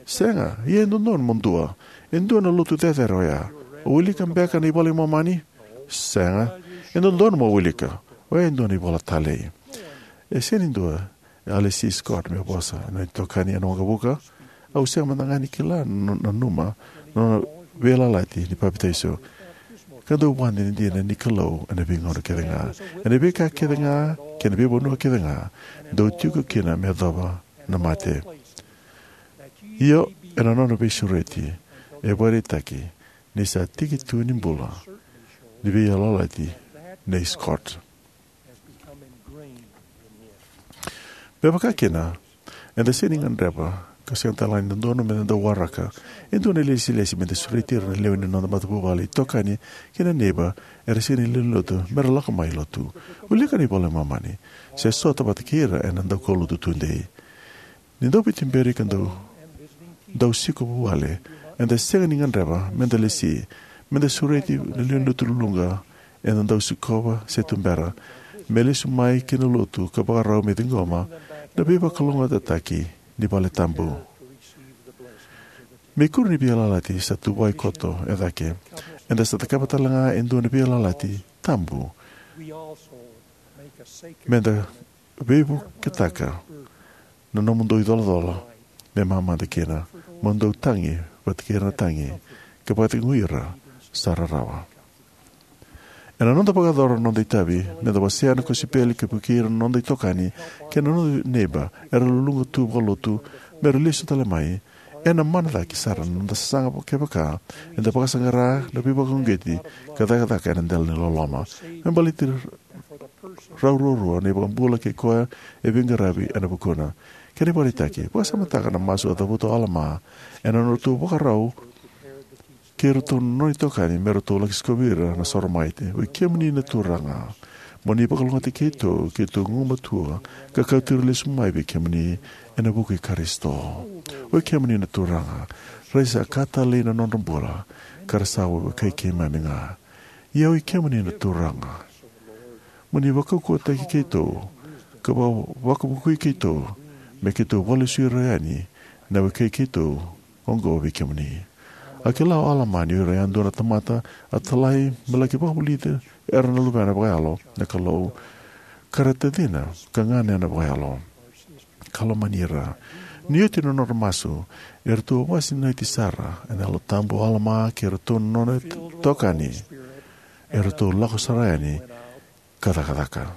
"Sega, ia e dodonu mo dua. E dua na lotu cecere oya. O wilika beka na iVola i Momani?" "Sega." "E dodonu mo wilika. Oya e dua na ivola talei." E sega ni dua e a lesi Scott me vosa. Na itokani ena waqavuka: "Au sega mada ga ni kila na, nanuma na nona veiyalayalati ni papitaiso ka dau vakadinadina ni Kalou ena veigauna kece ga, ena veika kece ga kei na veivanua kece ga dau tiko kina me yacova na mate." Io, ena nona veisureti e vakaraitaki ni sa tiki tu ni bula ni veiyalayalati nei Scott. Me vaka kina, eda sega ni gadreva ka sega tale ga ni dodonu me da dau waraka e dua na ilesilesi me da sureti ira na lewe ni noda matavuvale, itokani kei na neiba era sega ni lewe ni lotu me ra lako mai lotu, wilika na iVola i Momani, se sota vata kei ira ena daukaulotu tudei. Ni dau veituberi ka dau, dau siko vuvale, eda sega ni gadreva me da lesi, me da sureti na lewe ni lotu luluqa eda dau sikova se tubera, me lesu mai ki na lotu ka vakarau me ciqoma na veivakalougatataki ni vale tabu. Me ikuri ni veiyalayalati sa tuvai koto e cake, eda sa cakava tale ga e dua na veiyalayalati tabu me da veivuketaka na nomudou icolacola me mamada kina, mo dou tagi vata kei ira na tagi, ka vakacegui ira sa rarawa. Ena noda vakayacora na noda itavi me da wasea na kosipeli ka vukei ira na noda itokani kei na noda neiba era luluqa tu vakalotu me ra lesu tale mai, ena mana cake sara na noda sasaga kevaka eda vakasaqara na veivakauqeti ka cakacaka ena dela ni loloma. Me baleti rau ruarua na iVakabula kei koya e veiqaravi ena vukuna. Kena ivakaraitaki, vakasamataka na masu a cavuta o Alama ena nodratou vakarau kei iratou na nona itokani me ratou laki sikovi ira na Soromaite. Oi kemuni na Turaga, mo ni vakalougatataki keitou, keitou gumatua ka kauti ira lesu mai vei kemuni ena vuku i Karisito. Oi kemuni na Turaga, raica sa ka talei na nodra bula, ka ra sa vakaivei keimami ga. Ia oi kemuni na Turaga, mo ni vakaukauwataki keitou ka va- vakavukui keitou me keitou vakalesui ira yani na wekai keitou oqo vei kemuni. A kila o Alama ni o ira yadua na tamata a talai me laki vakavulici ira na luvena vakayalo na Kalou, ka ra tacina ka ganena vakayalo ka lomani ira. Ni oti na nodra masu, eratou a vakasinaiti sara ena Yalo Tabu o Alama kei iratou na nona itokani. Eratou lako sara yani ka cakacaka.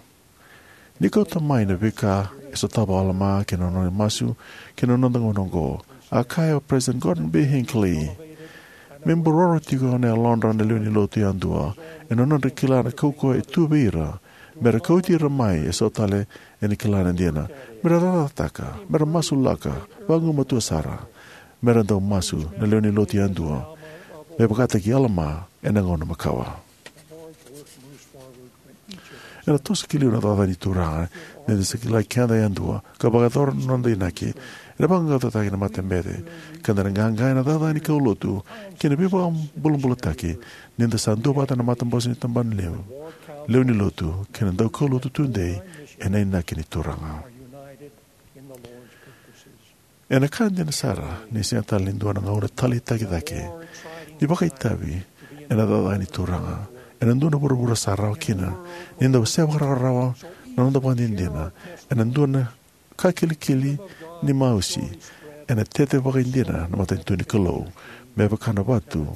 Ni kauta mai na veika e sotava o Alama kei na nona masu kei na noda gauna oqo, a kaya o President Gordon B. Hinckley, me buroro tiko na yalodra na lewe ni lotu yadua ena nodra kila na kaukauwa e tu vei ira, me ra kauti ira mai eso tale ena kila na dina, me ra cakacakataka, me ra masulaka vagumatua sara, me ra dau masu na lewe ni lotu yadua me vakataki Alama ena gauna makawa. Ena toso ki liu na cakacaka ni Turaga ni da sa kilai keda yadua ka vakayacora na noda inaki. Ena vaqaqacotaki na matabete ka da na qaqa ena cakacaka ni kaulotu kei na veivakabulabulataki ni da sa duavata na matabose ni tabana levu, lewe ni lotu kei na daukaulotu tudei ena inaki ni Turaga. Ena ka dina sara ni sega tale ni dua na gauna taleitaki cake ni vakaitavi ena cakacaka ni Turaga ena dua na vuravura sa rawa kina ni da wasea vakarawarawa na noda vakadinadina ena dua na ka kilikili ni mausi ena tete vakaidina na matanitu ni Kalou me vaka na vatu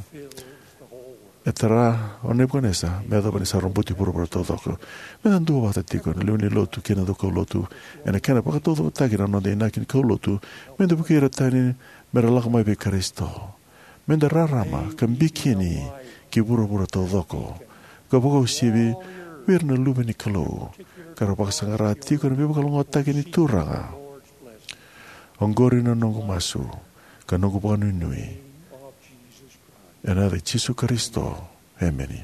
e tara o Nepukanesa me yacova ni sa robuti vuravura taucoko. Me da duavata tiko na lewe ni lotu kei na daukaulotu ena kena vakataucokotaki na noda inaki ni kaulotu, me da vukei ira tani me ra lako mai vei Karisito, me da rarama ka bikini ki vuravura taucoko ka vakauasivi vei ira na luve ni Kalou ka ra vakasaqara tiko na veivakalougatataki ni Turaga. Oqori na noqu masu ka noqu vakanuinui ena yaca i Jisu Karisito. Emeni.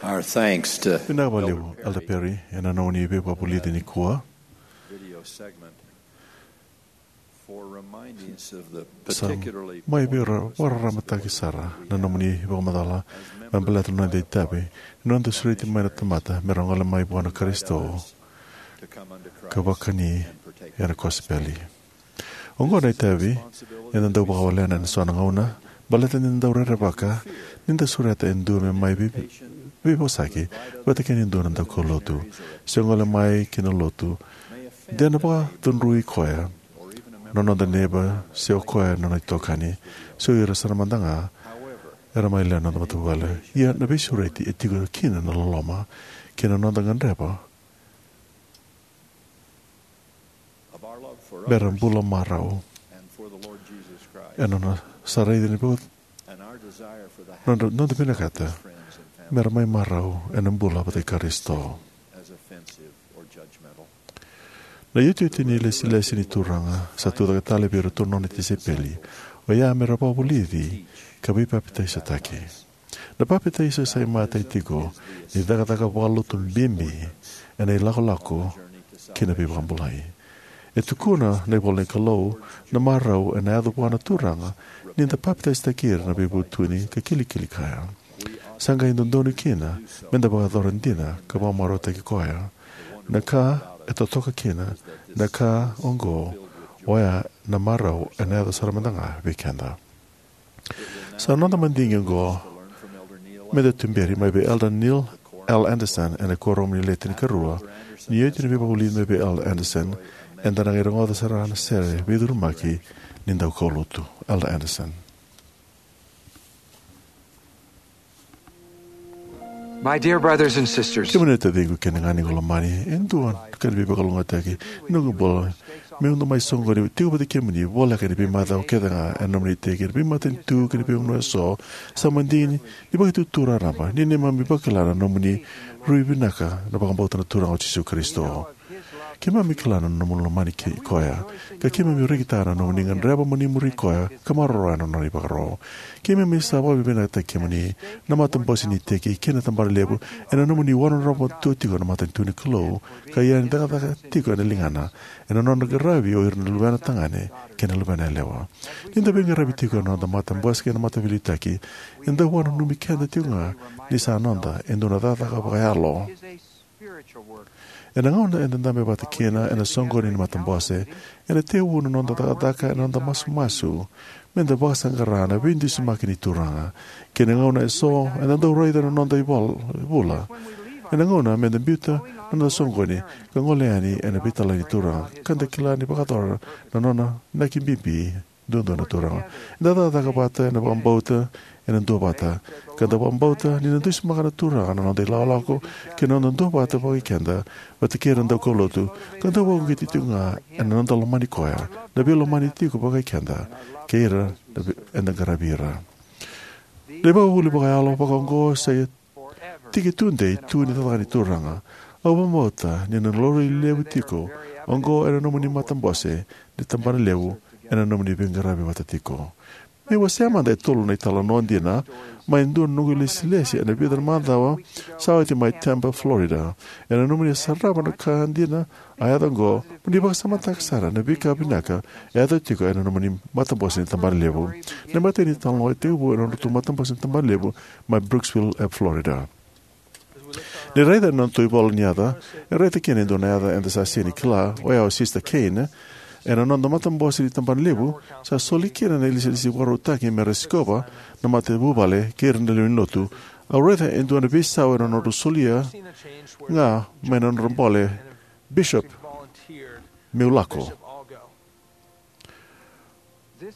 Our thanks to Vinaka vakalevu, Elder Perry, ena nomuni veivakavulici nikua. Video segment for reminding us of the Sa particularly mai vei ra- vakararamataki sara na nomuni vakamacala me baleta na noda itavi, na noda sureti mai na tamata me ra gole mai vua na Karisito to come unto Christ ka vakani and partake ena kosipeli. Oqo na itavi eda dau vakawalena ena so na gauna, baleta ni da dau rerevaka ni da sureta e dua me mai vei- veivosaki vata kei na dua na daukaulotu, se gole mai ki na lotu. De na vakacudrui koya na noda neiba se o koya na nona itokani, se o ira sara mada ga era mai lewe ni noda matavuvale. Ia na veisureti e tiko kina na loloma kei na noda gadreva me ra bula marau ena nona sa raici na vei- nodra noda vinakata me ra mai marau ena bula vata kei Karisito. Na iotioti ni lesilesi ni Turaga sa tucake tale vei iratou na nona tisaipeli, oya me ra vakavulici ka veipapitaisotaki. Na papitaiso sa imatai tiko ni cakacaka vakalotu bibi ena ilakolako ki na veivakabulai. E tukuna na ivola ni Kalou na marau ena yaco vua na Turaga ni da papitaisotaki ira na veivutuni ka kilikili kaya. Sa qai dodonu kina me da vakayacora dina ka vakamarautaki koya. Na ka e totoka kina na ka oqo, oya na marau ena yaco sara mada ga vei keda. Sa noda madigi oqo me da tuberi mai vei Elder Neil L. Andersen ena kuoramu ni Le Tinikarua. Ni oti na veivakavulici mai vei Elder Andersen, eda na qai rogoca sara na sere veicurumaki ni daukaulotu. Elder Andersen. My dear brothers and sisters, kemuni na taciqu kei na ganequ lomani, e dua na ka ni veivakalougatataki ni noqu bula meu dau mai soqoni tiko vata kei kemuni, voleka ni veimacawa kece ga ena nomuni iteki, ena veimatanitu kei na veivanua eso. Sa madigi ni vakaitutu raraba ni neimami vakila na nomuni rui vinaka na vakabauta na Turaga o Jisu Karisito. Keimami kila na nomuni lomani kei koya, ka keimami rekitaka na nomuni gadreva mo ni muri koya ka maroroya na nona ivakaro. Keimami sa vakavinavinakataki kemuni na matabose ni iteki kei na tabana levu ena nomuni wanodrava tu tiko na matanitu ni Kalou, ka ia ni cakacaka tiko ena ligana ena nona qaravi o ira na luvena tagane kei na luvena yalewa. Ni da veiqaravi tiko ena noda matabose kei na mataveiliutaki, e dau vakananumi keda tiko ga ni sa noda e dua na cakacaka vakayalo. Ena gauna eda dabe vata kina ena soqoni ni matabose, ena tekivu na noda cakacaka ena noda masumasu me da vakasaqara na veidusimaki ni Turaga. Kei na gauna eso eda dau raica na noda ivol- ivula. Ena gauna me da biuta na noda soqoni ka gole yani ena veitalai ni Turaga, ka da kila ni vakayacora na nona inaki bibi duadua na Turaga. Eda cakacaka vata ena vakabauta ena duavata, ka da vakabauta ni na dusimaka na Turaga na noda ilakolako kei na noda duavata vakaikeda vata kei ira na daukaulotu, ka da vakauqeti tiko ga ena noda lomani koya, na veilomani tiko vakaikeda kei ira na vei- eda qaravi ira. Na ivakavuvuli vakayalo vakaoqo sa tiki tudei tu ni cakacaka ni Turaga. Au vakabauta ni na laurai levu tiko oqo ena nomuni matabose ni tabana levu ena nomuni veiqaravi vata tiko. Meu wasea mada e tolu na italanoa dina mai dua na noqu ilesilesi ena vica na macawa sa oti mai Tampa, Florida. Ena nomuni sarava na ka dina a yaco oqo, mo ni vakasamataka sara na veika vinaka e yaco tiko ena nomuni matabose ni tabana levu. Na imatai ni talanoa e tekivu ena nodratou matabose ni tabana levu mai Brooksville, e Florida. Ni raica ena nodratou ivola ni yaca, e raica kina e dua na yaca eda sa sega ni kila, oya o Sister Kane. Ena noda matabose ni tabana levu sa soli kina na ilesilesi vakarautaki me ra sikova na matavuvale kei ira na lewe ni lotu. Au raica e dua na veisau ena nodra solia ga mai na nodra bole, Bishop, meu lako.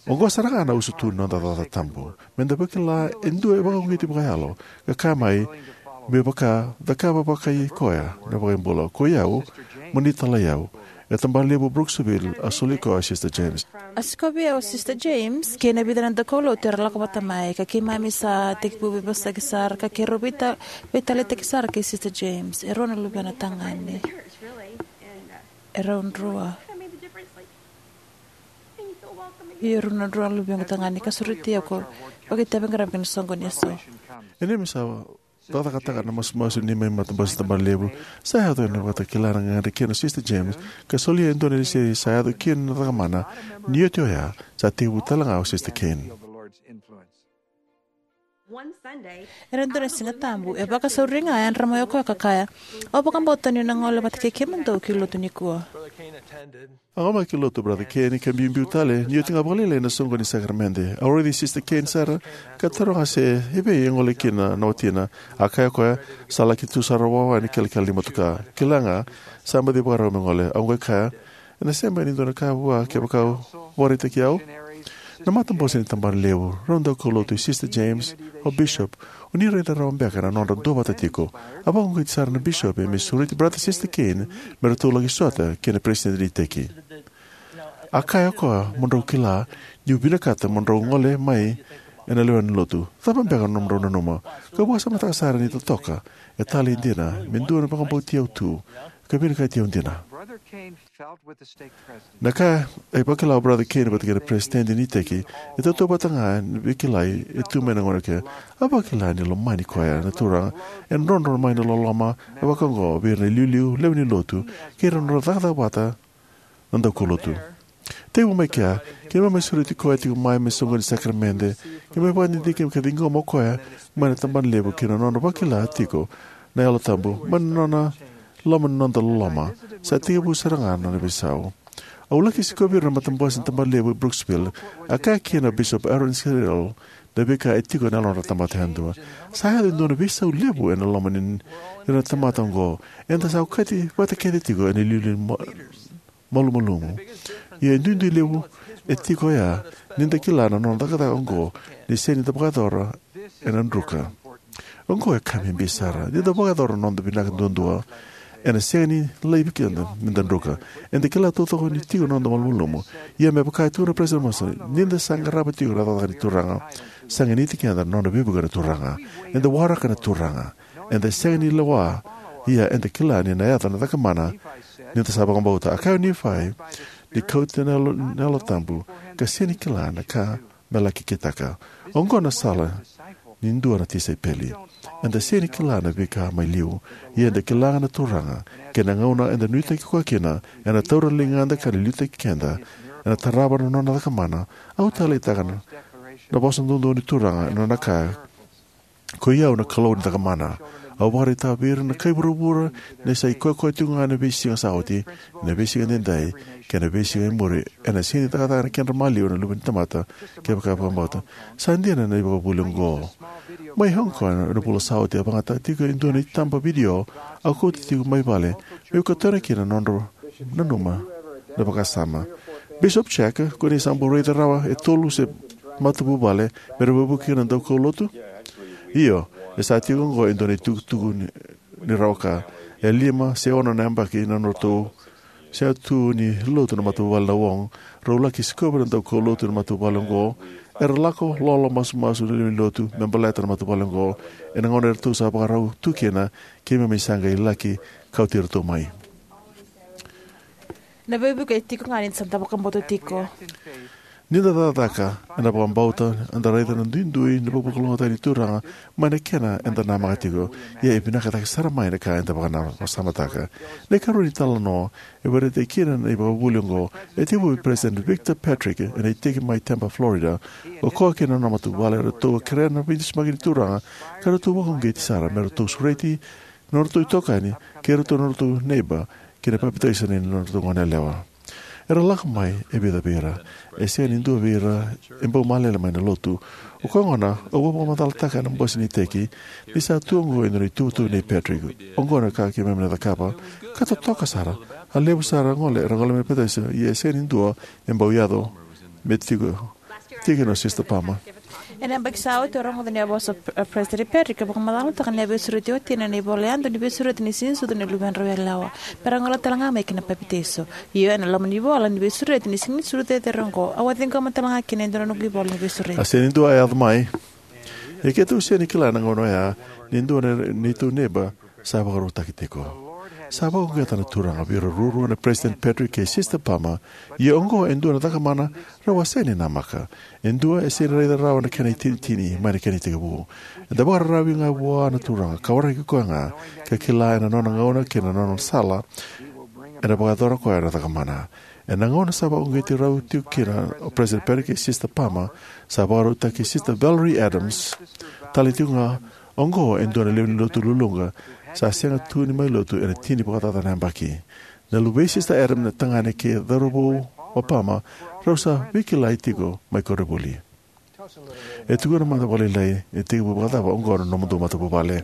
Oqo sara ga na usutu ni noda cakacaka tabu, me da vakila e dua e vakauqeti vakayalo ka kaya mai me vaka cakava vakai koya na vakabula. Ko i au, mo ni talai au. E tabana levu Brooksville a soli koya o Sister James. A sikovi au o Sister James kei na vica na daukaulotu era lako vata mai, ka keimami sa tekivu veivosaki sara ka keirau veita- veitaleitaki sara kei Sister James. E rua na luvena tagane. E rau drua. Ia e rua na drua na luvequ tagane ka sureti au ko vakaitavi qaravi ki na soqoni eso. E neimami sa Cakacakataka na masumasu ni mai matabose ni tabana levu. Sa yaco ena vakatakila na gagadre kei na Sister James, ka solia e dua na ilesilesi sa yaco kina na cakamana. Ni oti oya, sa tekivu tale ga o Sister Kane. Ena dua na Siga Tabu, e vakasauri ga e yadra mai o koya ka kaya, "Au vakabauta niu na gole vata kei kemudou ki lotu nikua." A gole mai ki lotu o Brother Kane ka biubiu tale, ni oti ga vakalailai na soqoni ni sakaramede. Au raici Sister Kane sara, ka taroga se evei e gole kina na watina. A kaya o koya, "Sa laki tu sara wawa ni kelekele ni motoka. Kila ga, sa baci vakarau me gole." Au qai kaya, "Ena sega beka ni dua na ka vua kevaka o vakaraitaki au?" Na matabose ni tabana levu, rau daukaulotu, Sister James, o Bishop, o ni raica rawa beka na nodra duavata tiko. A vakauqeti sara na Bishop me sureti Brother Sister Kane me ratou laki sota kei na peresitedi ni iteki. A kaya o koya, "Mo drau kila niu vinakata mo drau gole mai ena lewe ni lotu. Cava beka na nomudrau nanuma?" Kau vakasamataka sara ni totoka e talei dina me dua na vakabauti au tu ka vinakati au dina. Na ka e vakila o Brother Kane vata kei na peresitedi ni iteki e tautauvata ga ni veikilai e tu mai na gauna kece. A vakila ni lomani koya na Turaga, e drodro mai na loloma e vaka oqo vei ira na iliuliu, lewe ni lotu, kei ira na nodra cakacaka vata na daukaulotu. Tekivu mai kea, keimami mai sureti koya tiko mai me soqoni ni sakaramede, keimami vakadidike ka ciqoma o koya mai na tabana levu kei na nona vakila tiko na Yalo Tabu mai na nona loma ni noda loloma. Sa tekivu sara ga na nona veisau. Au laki sikovi ira na matabose ni tabana levu e Brooksville. A kaya kina o Bishop Aaron Searle na veika e tiko ena yalodra na tamata yadua. Sa yaco e dua na veisau levu ena loma ni ira na tamata oqo. Eda sa okati vata kece tiko ena iliuliu ni ma- malumalumu. Ia e duidui levu e tiko oya ni da kila na nona cakacaka oqo ni sega ni da vakayacora ena druka. Oqo e ka bibi sara. Ni da vakayacora na noda vinaka duadua, ena sega ni laivi keda me da druka. Eda kila taucoko ni tiko na noda malumalumu. Ia me vaka e tukuna o Peresitedi Monson, ni da sa qarava tiko na cakacaka ni Turaga, sa ganiti keda na nona veivuke na Turaga. Eda waraka na Turaga. Eda sega ni lewa, ia eda kila ni na yaco na cakamana ni da sa vakabauta. A kaya o Nifai ni kauta na Yalo, na Yalo Tabu, ka sega ni kila na ka me laki kitaka. Oqo na sala ni dua na tisaipeli. Eda sega ni kila na veika mai liu, ia eda kila ga na Turaga, kei na gauna eda nuitaki koya kina, ena taura na ligada ka na liutaki keda, ena tarava na nona cakamana. Au taleitaka na, na vosa doudou ni Turaga, na nona kaya, "Koi au na Kalou ni cakamana." Au vakaraitaka vei ira na kai vuravura ni sa ikoyakoya tiko ga na veisiga sa oti, na veisiga daidai, kei na veisiga e muri, ena sega ni cakacaka na kedra maliwa na luve ni tamata, kevaka vakabauta. Sa dina na ivakavuvuli oqo. Mai Hong Kong, ena vula sa oti, a vakayagataka tiko e dua na itaba vidio, au kauta tiko mai vale, meu katona kina na nodra nanuma na vakasama. Bishop Jack, ko ni sa bau raica rawa e tolu se matavuvale me ra veivuke kina na daukaulotu? Io, e sa tiko oqo e dua na itukutuku ni, ni rawa ka. E lima se ono na yabaki na nodratou se tu ni lotu na matavuvale na Wong. Rau laki sikova na daukaulotu na matavuvale oqo. Era lako lolo masumasu na lewe ni lotu me baleta na matavuvale oqo. Ena gauna eratou sa vakarau tu kina, keimami sa qai laki kauti iratou mai. Na veivuke e tiko ga ni da sa da vakabauta tiko. Ni da cakacaka ena vakabauta, eda raica na duidui ni vakavakalougatataki ni Turaga mai na kena eda namaka tiko. Ia e vinaka cake sara mai na ka eda vakanasamataka. Na ikarua ni talanoa e vakaraitaki kina na ivakavuvuli oqo e tekivu vei President Victor Patrick ena iteki mai Tampa, Florida. O koya kei na nona matavuvale eratou a kerea na veidusimaki ni Turaga, ka ratou vakauqeti sara me ratou sureti na nodratou itokani kei iratou na nodratou neiba ki na papitaiso ni nodratou goneyalewa. Era lako mai e vica vei ira. E sega ni dua vei ira e bau malele mai na lotu. O koya gona au a vakamacalataka ena bose ni iteki ni sa tu oqo e dua na ituvatuva nei Patrick. Oqo na ka keimami na cakava. Ka totoka sara. A levu sara gole era gole mai papitaiso, ia e sega ni dua e bau yaco me tiko, tiko na Sister Palmer. Ena yabaki sa oti au rogoca ni a vosa o President Patrick e vakamacalataka ni a veisureti o watina ena ivola yadua ni veisureti ni Siganisucu ni Luvedrau Yalewa, me ra gole tale ga mai ki na papitaiso. Io, ena loma ni ivola ni veisureti ni Siganisucu cecere oqo, au a ciqoma tale ga kina e dua na noqu ivola ni veisureti. A sega ni dua a yaco mai. Ia keitou sega ni kila na gauna oya ni dua na neitou neiba sa vakarautaki tiko. Sa vakauqeta na Turaga vei ira ruarua na President Patrick kei Sister Palmer, ia oqo e dua na cakamana rau a sega ni namaka. E dua e sega ni raica rawa na kena itinitini mai na kena itekivu. Eda vakararavi ga vua na Turaga, ka waraki koya ga, ka kila ena nona gauna kei na nona sala, ena vakayacora koya na cakamana. Ena gauna sa vakauqeti rau tiko kina o President Patrick kei Sister Palmer, sa vakarautaki Sister Valerie Adams tale tiko ga. Oqo e dua na lewe ni lotu luluqa sa sega tu ni mai lotu ena tini vakacaca na yabaki. Na luvei Sister Adams na tagane kei cauravou o Palmer, rau sa veikilai tiko mai koronivuli. E tukuna mada vakalailai, e tekivu vakacava oqo na nomudou matavuvale?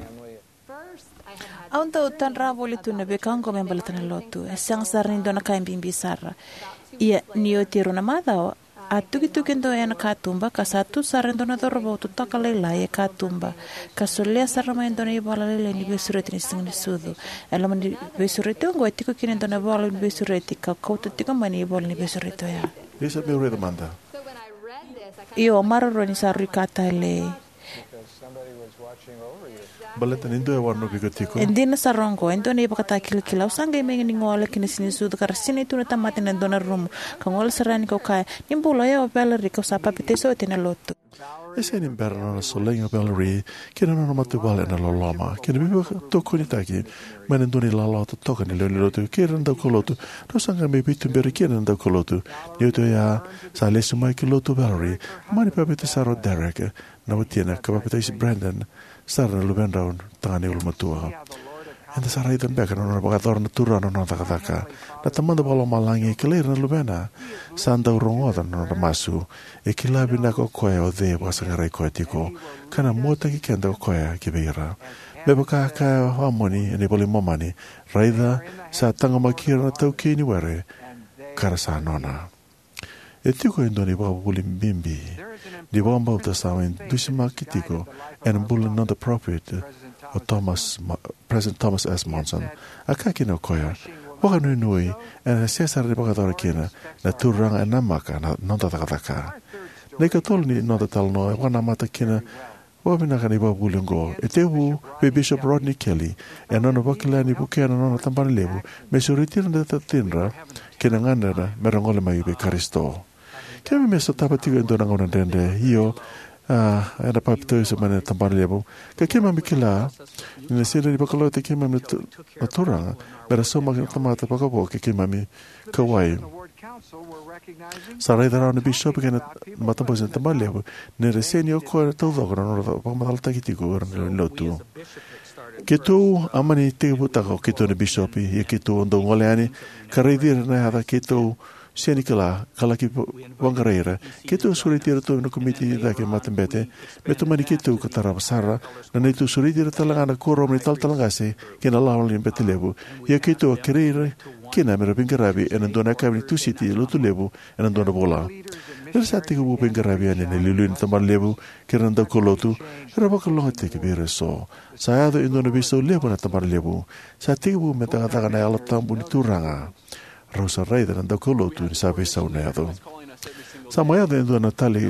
Au dau tadra voli tu na veika oqo me baleta na lotu. E sega sara ni dua na ka e bibi sara. Ia ni oti e rua na macawa, a tukituki e dua ena katuba, ka sa tu sara e dua na cauravou totoka lailai e katuba, ka solia sara mai e dua na ivola lailai ni veisureti ni Siganisucu. E loma ni veisureti oqo e tiko kina e dua na ivola ni veisureti, ka kauta tiko mai na ivola ni veisureti oya. Isa, meu raica mada. Io, maroroi ni sa rui ka talei. Baleta ni dua e wanovi iko tiko. E dina sara oqo, e dua na ivakatakilakila. Au sa qai mai ni gole ki na Siganisucu ka ra sinai tu na tamata ena dua na rumu. Ka gole sara yani kau kaya, "Ni bula, o yau o Valerie, kau sa papitaiso oti ena lotu." E sega ni bera na nona solegi o Valerie kei na nona matavuvale ena loloma kei na veivakatokonitaki mai na dua na ilawalawa totoka ni lewe ni lotu kei ira na daukaulotu. Rau sa qai mai veituberi kina na daukaulotu. Ni oti oya, sa lesu mai ki lotu o Valerie, a mani papitaiso sara o Derek, na watina, ka papitaiso Brandon sara na luvedrau tagane ulumatua. Eda sa raica beka na nona vakayacora na Turaga na nona cakacaka. Na Tamada Vakalomalagi e kilai ira na luvena. Sa dau rogoca na nodra masu. E kila vinaka o koya o cei e vakasaqarai koya tiko, ka na muataki keda o koya ki vei ira. Me vaka e kaya o Amoni ena iVola i Momani, "Raica, sa taqomaki ira na taukei ni were, ka ra sa nona." E tiko e dua na ivakavuvuli bibi ni vakabauta sa mai dusimaki tiko ena bula ni noda parofita, o Thomas Ma-, President Thomas S. Monson. A kaya kina o koya, "Vakanuinui, ena sega sara ni vakayacora kina, na Turaga e namaka na noda cakacaka." Na ikatolu ni noda italanoa e vakanamata kina vakavinaka na ivakavuvuli oqo. E tekivu vei Bishop Rodney Kelly, ena nona vakila ni vukea na nona tabanalevu me sureti ira na cidra kei na ganedra me ra gole mai vei Karisito. Keimami a sotava tiko e dua na gauna dredre, io, a, ena papitaiso mai na tabanalevu. Ka keimami kila ni na sega ni vakalougatataki keimami na tu-, na Turaga me ra saumaki na tamata vakavo kei keimami kauwai. Sa raica rawa na bisopi kei na matabose ni tabanalevu ni ra sega ni o koya taucoko na nodra vakamacalataki tiko o ira na lewe ni lotu. Keitou a mani tekivutaka o keitou na bisopi, ia keitou a dau gole yani ka raici ira na yaca keitou sega ni kila, ka laki va-, vaqarai ira. Keitou a sureti iratou na komiti cake matabete me tomani keitou ka tarava sara na neitou sureti ira tale ga na kuoramu ni talatala qase ki na lawalawa ni bete levu. Ia keitou a kerei ira kina me ra veiqaravi ena dua na yakavi ni Tusiti lotu levu ena dua na vula. Ni ra sa tekivu veiqaravi yani na iliuliu ni tabanalevu kei ira na daukaulotu, era vakalougatataki vei ira eso. Sa yaco e dua na veisau levu ena tabanalevu. Sa tekivu me cakacaka na Yalo Tabu ni Turaga. Rau sa raica na daukaulotu ni sa veisau na yaco. Sa mai yaco e dua na tali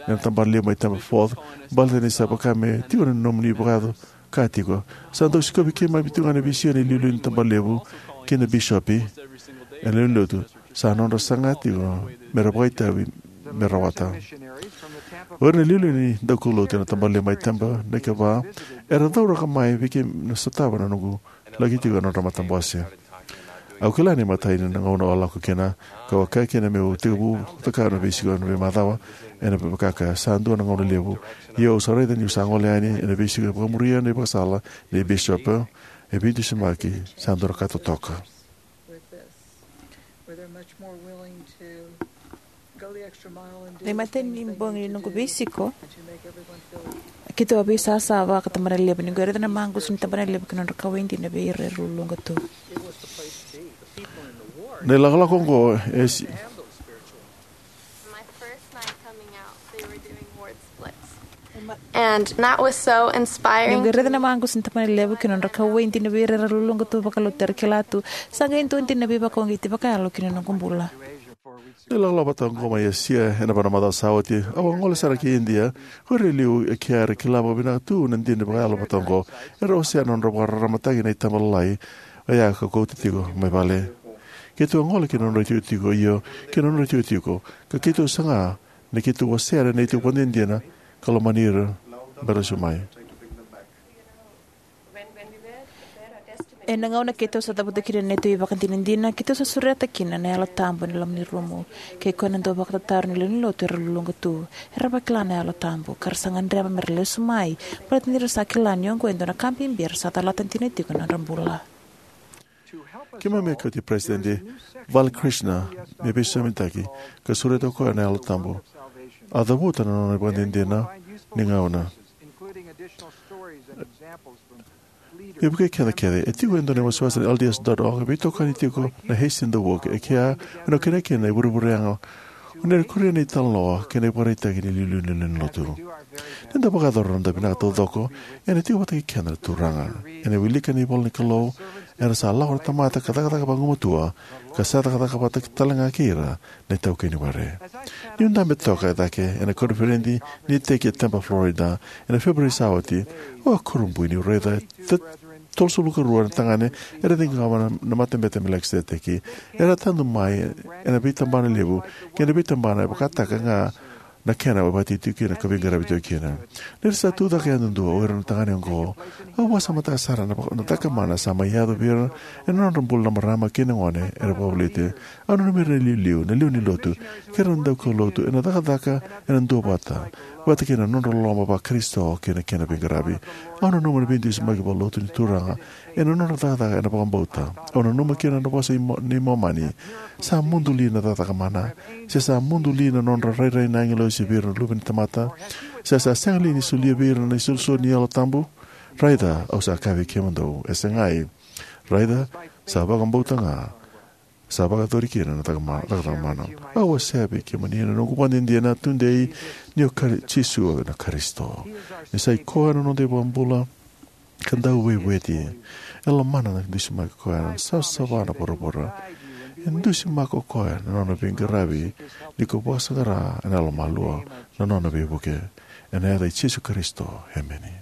ena tabanalevu mai Tampa Fourth, baleta ni sa vaka me tiko na nomuni vakayaco ka tiko. Sa dau sikovi keimami tiko ga na veisiga ni iliuliu ni tabanalevu kei na bisopi ena lewe ni lotu. Sa nodra saga tiko me ra vakaitavi me rawata. O ira na iliuliu ni daukaulotu ena tabanalevu mai Tampa na ikava era cauraka mai vei keimami na sotava na noqu laki tiko ena nodra matabose. Au kila ni matai ni na gauna au a lako kina, kau a kaya kina meu tekivu cakava na veisiko ena veimacawa, ena vaka sa dua na gauna levu. Ia au sa raica niu sa gole yani ena veisiko vakamuria na ivakasala nei bisopi, e veidusimaki, sa dua na ka totoka. Na imatai ni bogi ni noqu veisiko, keitou a veisasa vaka tabanalevu, ni qai raica na maqusa ni tabanalevu kei na nodra kauwai dina vei ira era luluqa tu. Na ilakolako oqo e si- My first night coming out, they were doing ward splits. And that was so inspiring. Niu qai raica na maqusa ni tabanalevu kei na nodra kauwai dina vei ira era luluqa tu vakalotu, era kila tu sa qai dua dina na veivakauqeti vakayalo ki na noqu bula. Ni lakolako vata oqo mai Asia ena va na macawa sa oti, au a gole sara ki Idia. O ira e liu e kea era kila vakavinaka tu na dina vakayalo vata oqo. Era wasea na nodra vakararamataki na itaba lalai Oya ka kauta tiko mai vale. Keitou a gole ki na nodra itikotiko, io, ki na nodra itikotiko, ka keitou saga ni keitou wasea na neitou ivakadinadina ka lomani ira me ra lesu mai. Ena gauna keitou sa cavuta kina na neitou ivakadinadina, keitou sa sureta kina na Yalo Tabu ena loma ni rumu. Kei koya na dau vakatataro ni lewe ni lotu era luluqa tu. Era vakila na Yalo Tabu ka ra sa gadreva me ra lesu mai, baleta ni ra sa kila ni oqo e dua na ka bibi era sa calata dina tiko ena nodra bula. Keimami a kauti Peresitedi Val Krishna me veisosomitaki ka sureta o koya na Yalo Tabu. A cavuta na nona ivakadinadina ni gauna. Ia, vukei keda kece, e tiko e dua na iwasewase na L D S dot org, e veitokani tiko na Hasten the Work, e kea, ena kena kena e vurevure yaga. O na kuria na italanoa kei na ivakaraitaki ni iliuliu ni lewe ni lotu. Ni da vakayacora na noda vinaka taucoko, ena tiko vata kei keda na Turaga. Ena wilika na ivola ni Kalou, era sa lako na tamata ka cakacaka vagumatua, ka sa cakacaka vata tale ga kei ira na itaukei ni were. Niu dabe toka e cake ena koniferedi ni iteki e Tampa, Florida, ena Feperueri sa oti, au a kurabui niu raica e tolusagavulu ka rua na tagane era ciqoma na, na Matabete i Melikiseteki. Era tadu mai ena veitabana levu kei na veitabana e vakataka ga na kena e vakatitiko kina ka veiqaravi tiko kina. Ni ra sa tucake yadudua o ira na tagane oqo, au vakasamataka sara na, na cakamana sa mai yaco vei ira ena nodra bula na marama kei na gone era vakavoliti. Au nanumi ira na iliuliu, na lewe ni lotu, kei ira na daukaulotu ena cakacaka ena duavata, vata kei na nodra loloma va-Karisito kei na kena veiqaravi. Au nanuma na veidusimaki vakalotu ni Turaga ena nodra cakacaka ena vakabauta. Au nanuma kina na vosa i Mo-, nei Momani: Sa mudu li na cakacaka mana, se sa mudu li na nodra rairai na agilosi vei ira na luve ni tamata, se sa sega li ni solia vei ira na isolisoli ni Yalo Tabu? Raica, au sa kaya vei kemudou, e segai. Raica, sa vakabauta ga, sa vakayacori kina na cakama-, cakacaka mana. Au wasea vei kemuni na noqu ivakadinadina tudei ni o Kari-, Jisu na Karisito. Ni sa i koya na noda iVakabula ka Dauveivueti. E lomana na dusimaki o koya na savasava na vuravura. E dusimaki o koya na nona veiqaravi ni ko vakasaqara ena yalomalua na nona veivuke. Ena yaca i Jisu Karisito, emeni.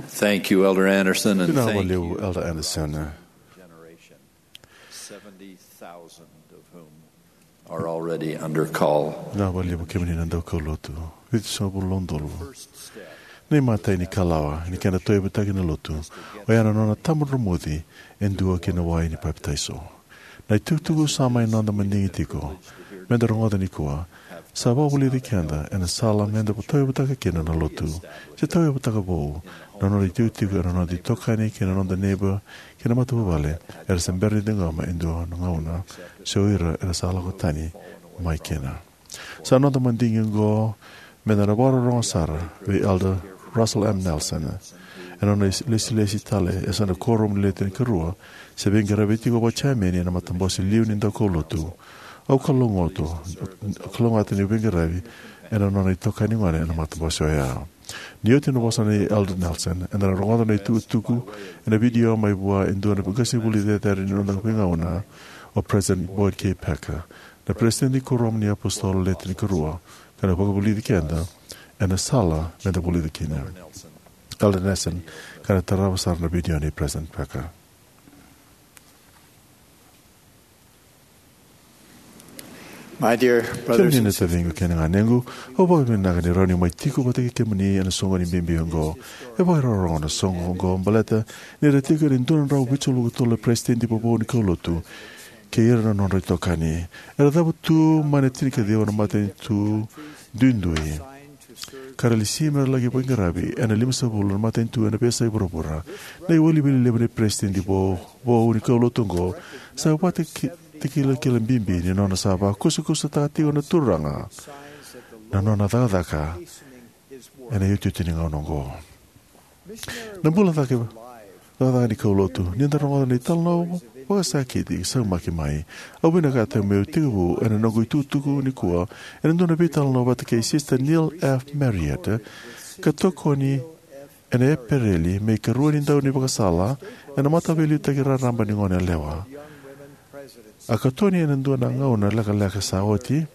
Thank you, Elder Anderson, and Vinaka thank vakalevu, you, Elder Anderson. Generation, seventy thousand of whom are already under call. Vinaka vakalevu kemuni na daukaulotu. Vitusagavulu na udolu. First step. Na imatai ni kalawa ni kena tauyavutaki na lotu, oya na nona tabadromuci e dua ki na wai ni papitaiso. Na itukutuku sa mai noda madigi tiko meda rogoca nikua sa vakavulici keda ena sala meda tauyavutaka kina na lotu, se tauyavutaka vou na nona itikotiko ena noda itokani kei na noda neiba kei na matavuvale era se bera ni ciqoma e dua na gauna, se o ira era sa lako tani mai kina. Sa noda madigi oqo meda na vakarorogo sara vei Elder Russell M. Nelson ena nona lesilesi tale e sa na kuoramu ni Le Tinikarua, se veiqaravi tiko vakachameni ena matabose liu ni daukaulotu. Au kalougata, au kalougata ni veiqaravi ena nona itokani gone ena matabose oya. Ni oti na vosa nei Elder Nelson, eda na rogoca na itukutuku ena vidio mai vua e dua na qasenivuli cecere ni noda veigauna, o President Boyd K. Packer, na Peresitedi ni Kuoramu ni iApositolo Le Tinikarua, ka na vakavulici keda ena sala meda vulica kina. Elder Nelson, ka na tarava sara na vidio nei President Packer. My dear brothers and sisters, kemuni na taciqu kei na ganequ, au vakavinavinaka ni rawa niu mai tiko vata kei kemuni ena soqoni bibi oqo. E vakairogorogo na soqo oqo baleta ni ra tiko ena dua na drau vitusagavulu ka tolu na peresitedi vovou ni kaulotu kei ira na nodra itokani. Era cavutu mai na tinikaciwa na matanitu duidui, ka ra lesi me ra laki veiqaravi ena limasagavulu na matanitu ena veiyasai vuravura. Na iwiliwili levu ni peresitedi vovou ni kaulotu oqo sa vakatakilakila bibi ni nona sa vakusakusataka tiko na Turaga na nona cakacaka ena iotioti ni gauna oqo. Na bula cake, cakacaka ni kaulotu, ni da rogoca na italanoa vakasakiti saumaki mai. Au vinakata meu tekivu ena noqu itukutuku nikua ena dua na veitalanoa vata kei Sister Neil F. Marriott, ka tokoni ena Epereli me ikarua ni dau ni vakasala ena Mataveiliutaki Raraba ni Goneyalewa. A katoni ena dua na gauna lekaleka sa oti.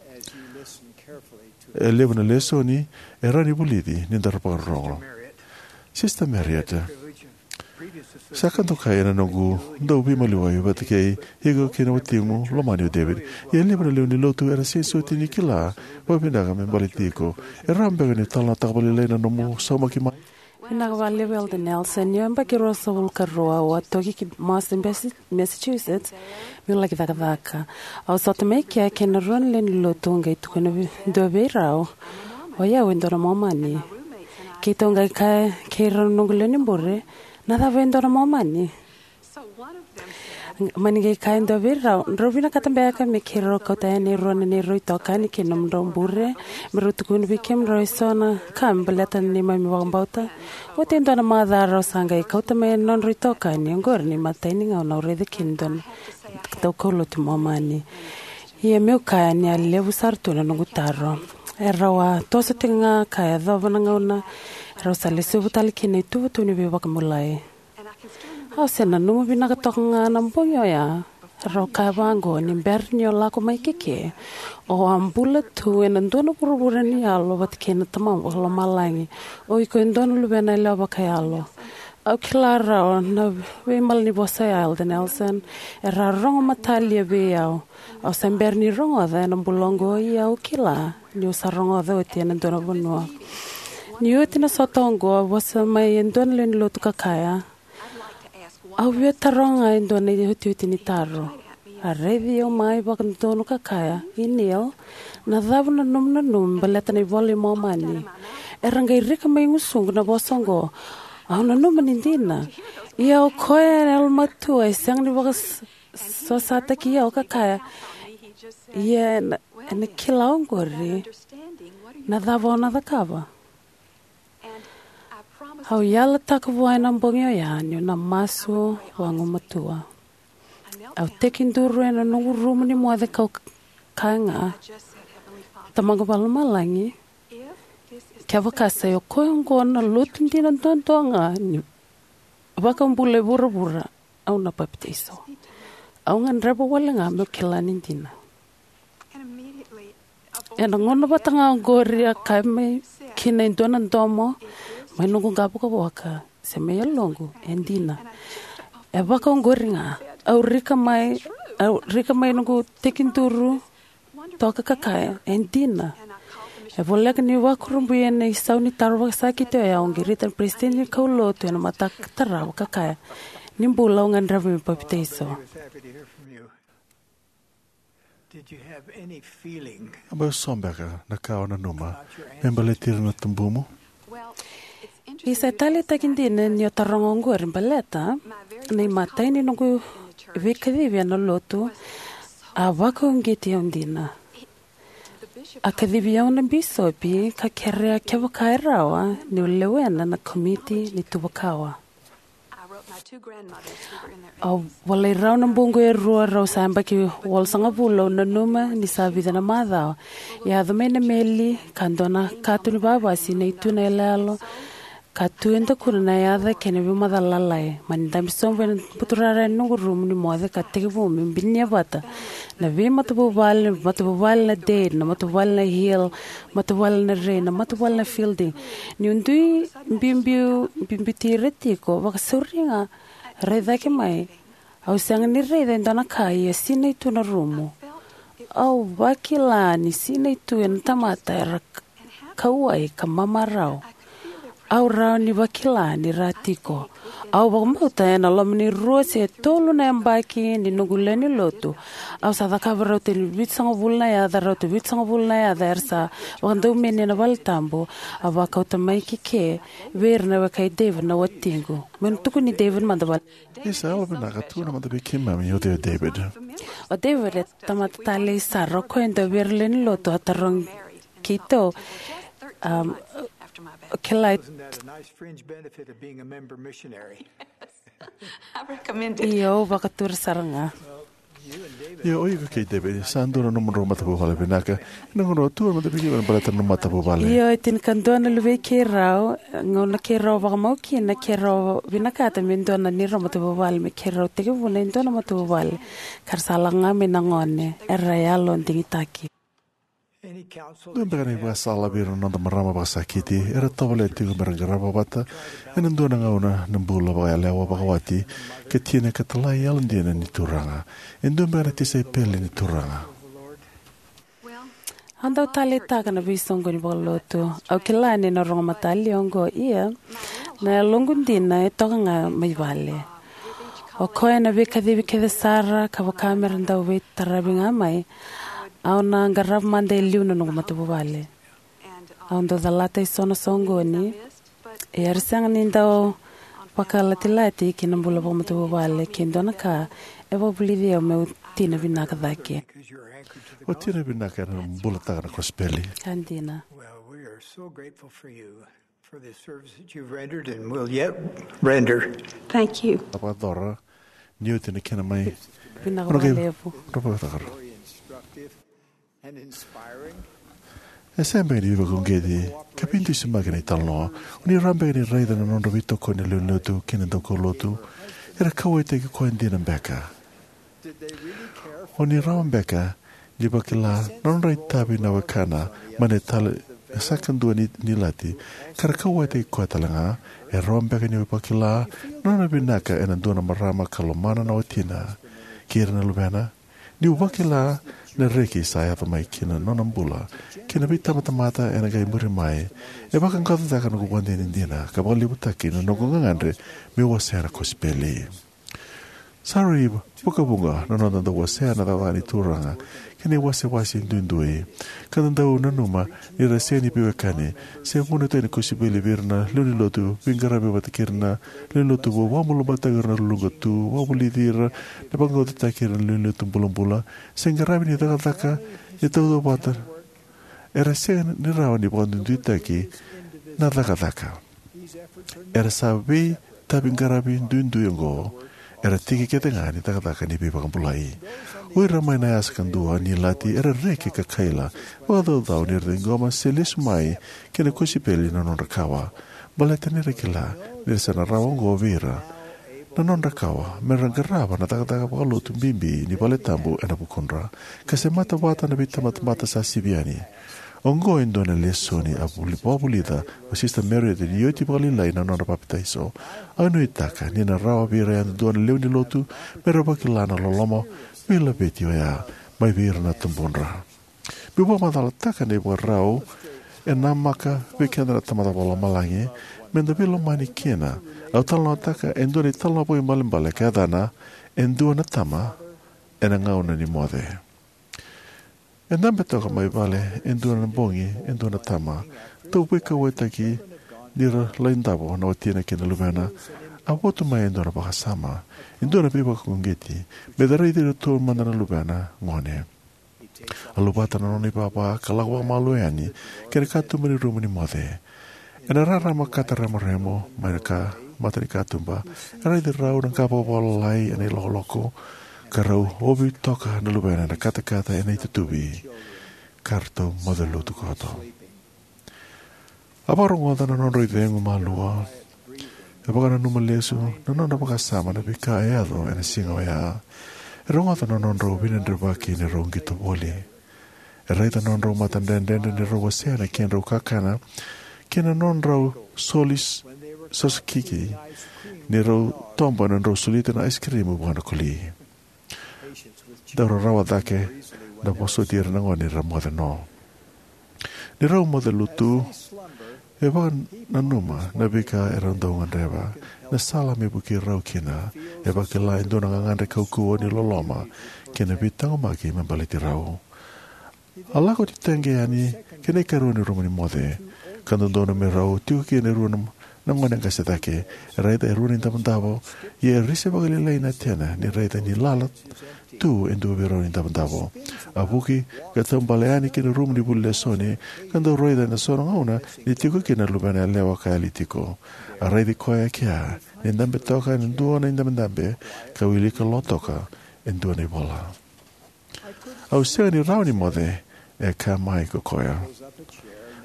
E levu na lesoni e rawa ni vulici ni da vakarorogo. Sister Marriott, sa ka dokai ena noqu dau veimaliwai vata kei iko kei na watimu lomani o David. Ia e levu na lewe ni lotu era sega soti ni kila vakavinaka me baleti iko. E rawa beka niu talanoataka vakalailai na nomu saumaki mai? Vinaka vakalevu Elder Nelson. Ni yabaki ruasagavulu ka rua au a toki ki Boston, Massachusetts, meu laki cakacaka. Au sota mai kea kei na rua na lewe ni lotu, qai tukuna vei, dua vei rau, o yau e dua na Momani. Keitou qai kaya kei rau na noqu lewe ni bure, na cava e dua na Momani? Mani qai kaya e dua vei rau, drau vinakata beka me keirau kauta yani e rua na neirau itokani kei na nomudrau bure, me rau tukuna vei kemudrau eso na ka me baleta na neimami vakabauta? Oti e dua na macawa rau sa qai kauta mai na nodrau itokani. Oqori na imatai ni gauna au raica kina e dua na daukaulotu Momani. Ia meu kaya ni a levu sara tu na noqu taro. Erau a toso tiko ga ka yacova na gauna erau sa lesuva tale kina na ituvatuva ni veivakabulai. Au se nanuma vinaka toka ga na bogi oya. Rau kaya vaqo, ni bera ni o lako mai keke, o a bula tu ena dua na vuravura ni yalo vata kei na Tamamu vakalomalagi. O iko e dua na luvena yalewa vakayalo. Au kila rawa na veimalanivosa ya, Elder Nelson. Era rogo matalia vei au. Au se bera ni rogoca ena bula oqo, ia au kila niu sa rogoca oti ena dua na vanua. Ni oti na sota oqo, a vosa mai e dua na lewe ni lotu ka kaya, au via taroga e dua na iotioti ni taro. A raici au mai vakadodonu ka kaya, I Neil, na cava na nomu nanuma me baleta na iVola i Momani? Era qai rika mai gusuqu na vosa oqo. Au nanuma ni dina. Ia o koya ena yalomatua e sega ni vakasosataki au ka kaya, ia ena, ena kila oqori na cava o na cakava. Au yalataka vua ena bogi oya niu na masu vagumatua. Au tekiduru ena noqu rumu ni moce kau kaya ga, Tamaqu Vakalomalagi, kevaka sa i koya oqo na lotu dina duadua ga ni vakabula e vuravura, au na papitaiso. Au gadreva wale ga meu kila ni dina. Ena gauna vata ga oqori a kaya mai kina e dua na domo, Mai noqu qavokavoka se mai yaloqu, e dina. E vakaoqori ga. Au rika mai, au rika mai noqu tekiduru toka ka kaya, e dina. E voleka ni vakurabui ena isau ni taro vakasakiti oya, au qirita na peresitedi ni kaulotu ena mataka tarava ka kaya, ni bula, au gadreva meu papitaiso. Did you have any feeling A bau so beka na ka o nanuma about your me baleti ira na tubumu? Isa, e taleitaki dina ni o taroga oqori baleta na imatai ni noqu veikacivi ena lotu a vakauqeti au dina. A kacivi au na bisopi ka kerea kevaka e rawa niu lewena na komiti ni tuvakawa. Au volai rau na buqu e rua, rau sa yabaki walusagavulu. Au nanuma ni sa vica na macawa. Yaco mai na meli ka dua na katu ni vavasi, na itu na yaloyalo, ka tu e dakuna na yaca kei na veimacala lalai. Mani dabe sobu ena buturara ena noqu rumu ni moce ka tekivu meu binia vata na veimatavuvale, matavuvale na Dade, na matavuvale na Hill, matavuvale na Ray, na matavuvale na Fielding. Niu dui biubiu, biubiuti ira tiko, vakasauri ga rai cake mai. Au sega ni raica e dua na ka, ia sinai tu na rumu. Au vakila ni sinai tu ena tamata era k-, kauwai ka mamarau. Au rawa ni vakila ni ra tiko. Au vakabauta ena loma ni rua se tolu na yabaki ni noqu lewe ni lotu, au sa cakava rauta ni vitusagavulu na yaca, rauta vitusagavulu na yaca era sa vakadaumeni ena valetabu. A vakauta mai ki ke vei ira na weka i David, na watiqu. Meu na tukuni David mada vale. Isa, yalo vinaka, tukuna mada vei keimami o cei o David. O David e tamata talei sara, o koya e dua vei ira lewe ni lotu a tarogi keitou. Um, kila. Isn't that a nice fringe benefit of being a member missionary? Io, au vakatura sara ga. Ia o iko kei David sa dua na nomudrau matavuvale vinaka. Ena gauna o tu mada vei keimami baleta na nomu matavuvale. Io, e tinikadua na luvei keirau, gauna keirau vakamau kina, keirau vinakata me dua na neirau matavuvale me keirau tekivuna e dua na matavuvale. Ka ra sa lako ga mai na gone, era yalo digitaki. Dua beka na ivakasala vei ira na noda marama vakasakiti era tovolea tiko me ra qarava vata ena dua na gauna na bula vakayalewa, vakawati, ka tina ka talai yalodina ni Turaga? E dua beka na tisaipeli ni Turaga? Au dau taleitaka na veisoqoni vakalotu. Au kila ni na rogo matalia oqo, ia na yaloqu dina e toka ga mai vale. O koya na veikacivi kece sara, ka vaka me ra dau veitaravi ga mai, au na qarava mada e liu na noqu matavuvale. Au dau calata eso na soqoni, ia era sega ni dau vakalatilati ki na bula vakamatavuvale. Ke dua na ka e vakavulici au meu tina vinaka cake. O tina vinaka ena bulataka na kosipeli. Ka dina. Well, we are so grateful for you, for the service that you've rendered and will yet render. Thank you. A vakayacora ni oti na kena mai. Vinaka vakalevu. Very instructive and inspiring. E sega beka ni veivakauqeti ka veidusimaki na italanoa. O ni rawa beka ni raica na nodra veitokoni na lewe ni lotu kei na daukaulotu. Era kauwaitaki koya dina beka? O ni rawa beka ni vakila na nodra itavi na wekana mai na tale e sa kadua ni, ni ilati, ka ra kauwaitaki koya tale ga? E rawa beka ni vakila na nona vinaka ena dua na marama ka lomana na watina kei ira na luvena? Niu vakila na reki sa yaco mai ki na nona bula kei na veitabatamata ena qai muri mai, e vakaqaqacotaka noqu ivakadinadina ka vakalevutaki na noqu gagadre meu wasea na kosipeli. Sa rui vakavuqa na noda dau wasea na cakacaka ni Turaga kei na iwasewase duidui, ka da dau nanuma ni ra sega ni veiwekani. Se vunautaki na kosipeli vei ira na lewe ni lotu, veiqaravi vata kei ira na lewe ni lotu vou, vakabulabulataki ira na luluqa tu, vakavulici ira, na vakaqaqacotaki ira na lewe ni lotu bulabula, se qaravi ni cakacaka ni tautauvata. Era sega ni rawa ni vakaduiduitaki na cakacaka. Era sa veitaviqaravi duidui oqo, era tiki kece ga ni cakacaka ni veivakabulai. O ira mai na yasa kadua ni ilati era reki ka kaila vakacaucau ni ra ciqoma se lesu mai ki na kosipeli na nodra kawa, baleta ni ra kila ni ra sa na rawa oqo vei ira na nodra kawa me ra qarava na cakacaka vakalotu bibi ni valetabu ena vukudra, ka semata vata na veitabatamata sa sivi yani. Oqo e dua na lesoni a vuli- vakavulica o Sista Marriott ni oti vakalailai na nona papitaiso. Au nuitaka ni na rawa vei ira yadudua na lewe ni lotu me ra vakila na loloma veilaveti oya mai vei ira na tubudra. Meu vakamacalataka na ivakarau e namaka vei keda na Tamada Vakalomalagi me da veilomani kina. Au talanoataka e dua na italanoa vakaibalebale ka yacana E Dua na Tama ena Gauna ni Moce. E dabe toka mai vale e dua na bogi e dua na tama, tauveikauwaitaki ni ra lai davo na watina kei na luvena. A votu mai e dua na vakasama, e dua na veivakauqeti, me da raici iratou mada na luvena gone. A luvata na nona ivava ka lako vakamalua yani ki na katuba ni rumu ni moce. Ena rarama kataremaremo mai na ka mata ni katuba, e raici rau na qa vakavalalai ena ilokoloko, ka rau ovi toka na luvena ena katakata ena itutuvi, ka ratou moce lutu koto. A vakarogoca na nodrau icegu malua. E vakananuma lesu na nona vakasama na veika e yaco ena siga oya. E rogoca na nodrau veidredrevaki ni rau qito voli. E raica na nodrau matadredredre ni rau wasea na kedrau kakana kei na nodrau soli s- sosokiki ni rau toba na nodrau solita na aisikirimu vua na koli. Dau rarawa cake na vosoti ira na gone ni ra moce no. Ni rau moce lutu, e vakananuma na veika e rau dau gadreva, na sala me vukei rau kina. E vakila e dua na gagadre kaukauwa ni loloma kei na veitaqomaki me baleti rau. A lako titaqe yani ki na ikarua ni rumu ni moce, ka dodonu me rau tiko kina e rua na, na gone qase cake. E raica e rua na idavodavo, ia e risi vakalailai na tena ni raica ni lala tu e dua vei rau na idavodavo. A vuki ka taubale yani ki na rumu ni vuli lesoni, ka dau raica ena so na gauna ni tiko kina na luvena yalewa ka yali tiko. A raici koya e kea ni dabe toka e dua na idabedabe, ka wilika lo toka e dua na ivola. Au sega ni rawa ni moce, e kaya mai ko koya.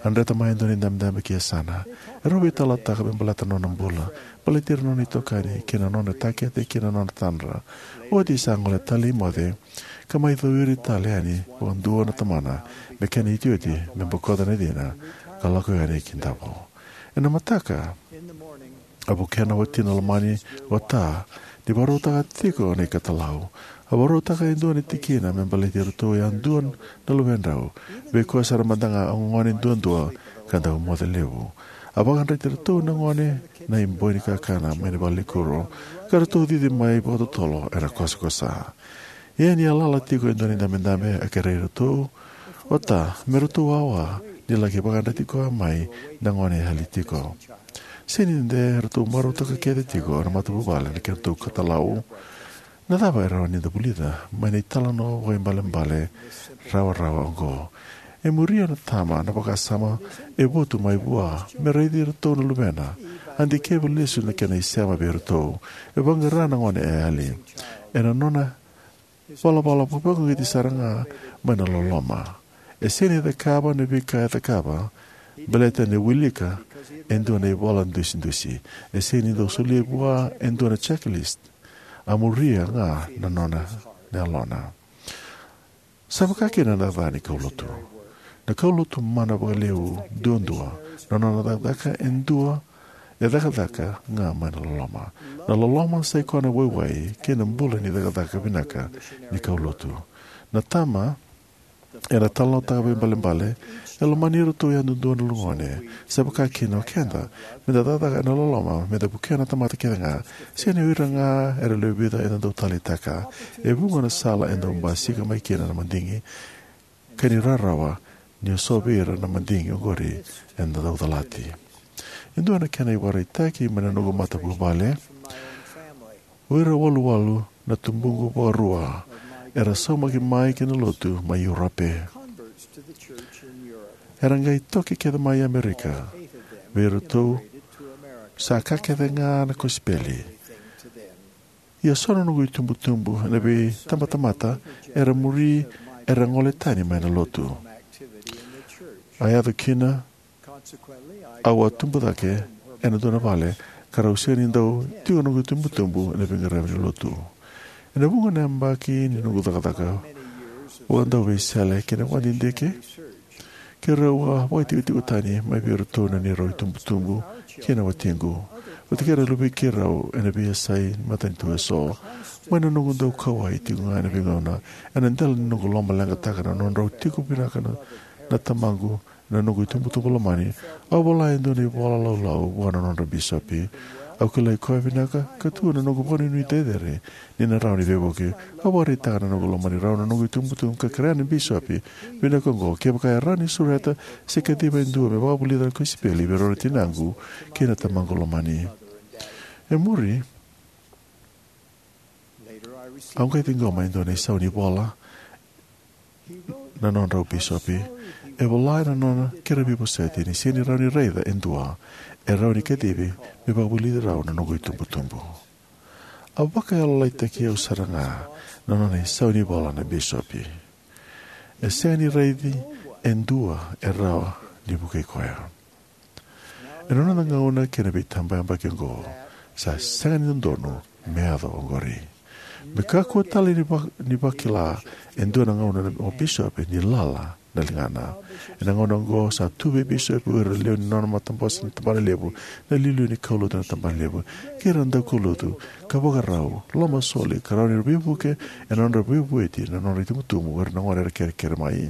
A dreta mai e dua na idabedabe ki yasana. E rau veitalanoataka me baleta na nona bula, baleti ira na nona itokani kei na nona takete kei na nona tadra. Oti sa gole tale i moce, ka mai cowiri tale yani vakadua na tamana me kena iotioti me bokoca na cina ka lako yani ki davo. Ena mataka, a vukea na watina lomani, o Ta, ni vakarautaka tiko na ikatalau. A vakarautaka e dua na tikina me baleti iratou yadua na luvedrau, vei koya sara mada ga a gone duadua ka dau moce levu. A vakayadrati iratou na gone na iboi ni kakana mai na valenikuro, ka ratou cici mai vakatotolo ena kosakosa. Ia ni a lala tiko e dua na idabedabe, a kerei iratou o Ta me ratou wawa ni laki vakayadrati koya mai na gone e yali tiko. Sega ni de ratou marautaka kece tiko na matavuvale na kedratou ikatalau. Na cava e rawa ni da vulica mai na italanoa vakaibalebale rawarawa oqo? E muria na tama na vakasama e votu mai vua me raici iratou na luvena. A dikeva lesu na kena isema vei iratou. E vaqara na gone e yali ena nona valavala vakauqeti sara ga mai na loloma. E sega ni cakava na veika e cakava baleta ni wilika e dua na ivola dusidusi. E sega ni dau solia vua e dua na checklist. A muria ga na nona na yalona. Sa vaka kina na ca ni kaulotu. Na kaulotu mana vakalevu duadua, na nona cakacaka e dua e cakacaka ga mai na loloma. Na loloma sa i koya na waiwai kei na bula ni cakacaka vinaka ni kaulotu. Na tama ena talanoataka vakaibalebale, e lomani iratou yadudua na luvena. Sa vaka kina o keda, me da cakacaka ena loloma me da vukea na tamata kece ga. Sega ni o ira ga era lewe vica eda dau taleitaka. E vuqa na sala e dau basika mai kina na madigi, ka ni rarawa ni o so vei ira na madigi oqori eda dau calati. E dua na kena ivakaraitaki mai na noqu matavuvale. O ira waluwalu na tubuqu vakarua era saumaki mai ki na lotu mai Europe. Era qai toki kece mai Amerika. Vei iratou sa ka kece ga na kosipeli. Ia so na noqu itubutubu ena veitabatamata era muri, era gole tani mai na lotu. A yaco kina au a tubu cake ena dua na vale ka rau sega ni dau tiko noqu itubutubu ena veiqaravi ni lotu. Ena vuqa na yabaki ni noqu cakacaka vakadauveisele kei na vakadidike, Keirau a vakaitikotiko tani mai vei iratou na neirau itubutubu kei na watiqu, vata kei ira na luvei keirau ena veiyasai ni matanitu eso. Mai na noqu dau kauwai tiko ga ena veigauna, ena dela ni noqu lomaleqataka na nodrau tiko vinaka na, na tamaqu, na noqu itubutubu lomani, au vola e dua na ivola laulau vua na nodra bisopi. Au kilai koya vinaka, ka tu na noqu vakanuinui cecere ni na rawa ni veivuke. Au vakaraitaka na noqu lomani rau na noqu itubutubu ka kerea na bisopi vinaka oqo, kevaka e rawa ni sureta se kaciva e dua me vakavulica na kosipeli vei rau na tinaqu kei na tamaqu lomani. E muri, au qai ciqoma e dua na isau ni vola na nodrau bisopi. E vola ena nona kerea veivosoti ni sega ni rawa ni raica e dua e rawa ni kacivi me vakavulici rau na noqu itubutubu. A vakayalolailaitaki au sara ga na nona isau ni vola na bisopi. E sega ni raici e dua e rawa ni vukei koya. Ena noda gauna kei na veitabayabaki oqo, sa sega ni dodonu me yaco oqori. Me kakua tale ni, va, ni vakila e dua na gauna o bisopi ni lala na ligana. Ena gauna oqo sa tu vei bisopi o ira na lewe ni nona matabose na tabana levu, na iliuliu ni kaulotu na tabana levu, kei ira na daukaulotu, ka vakarau, lomasoli, ka rawa ni veivuke ena nodra veivueti na nodra itubutubu o ira na gone era kerekere mai.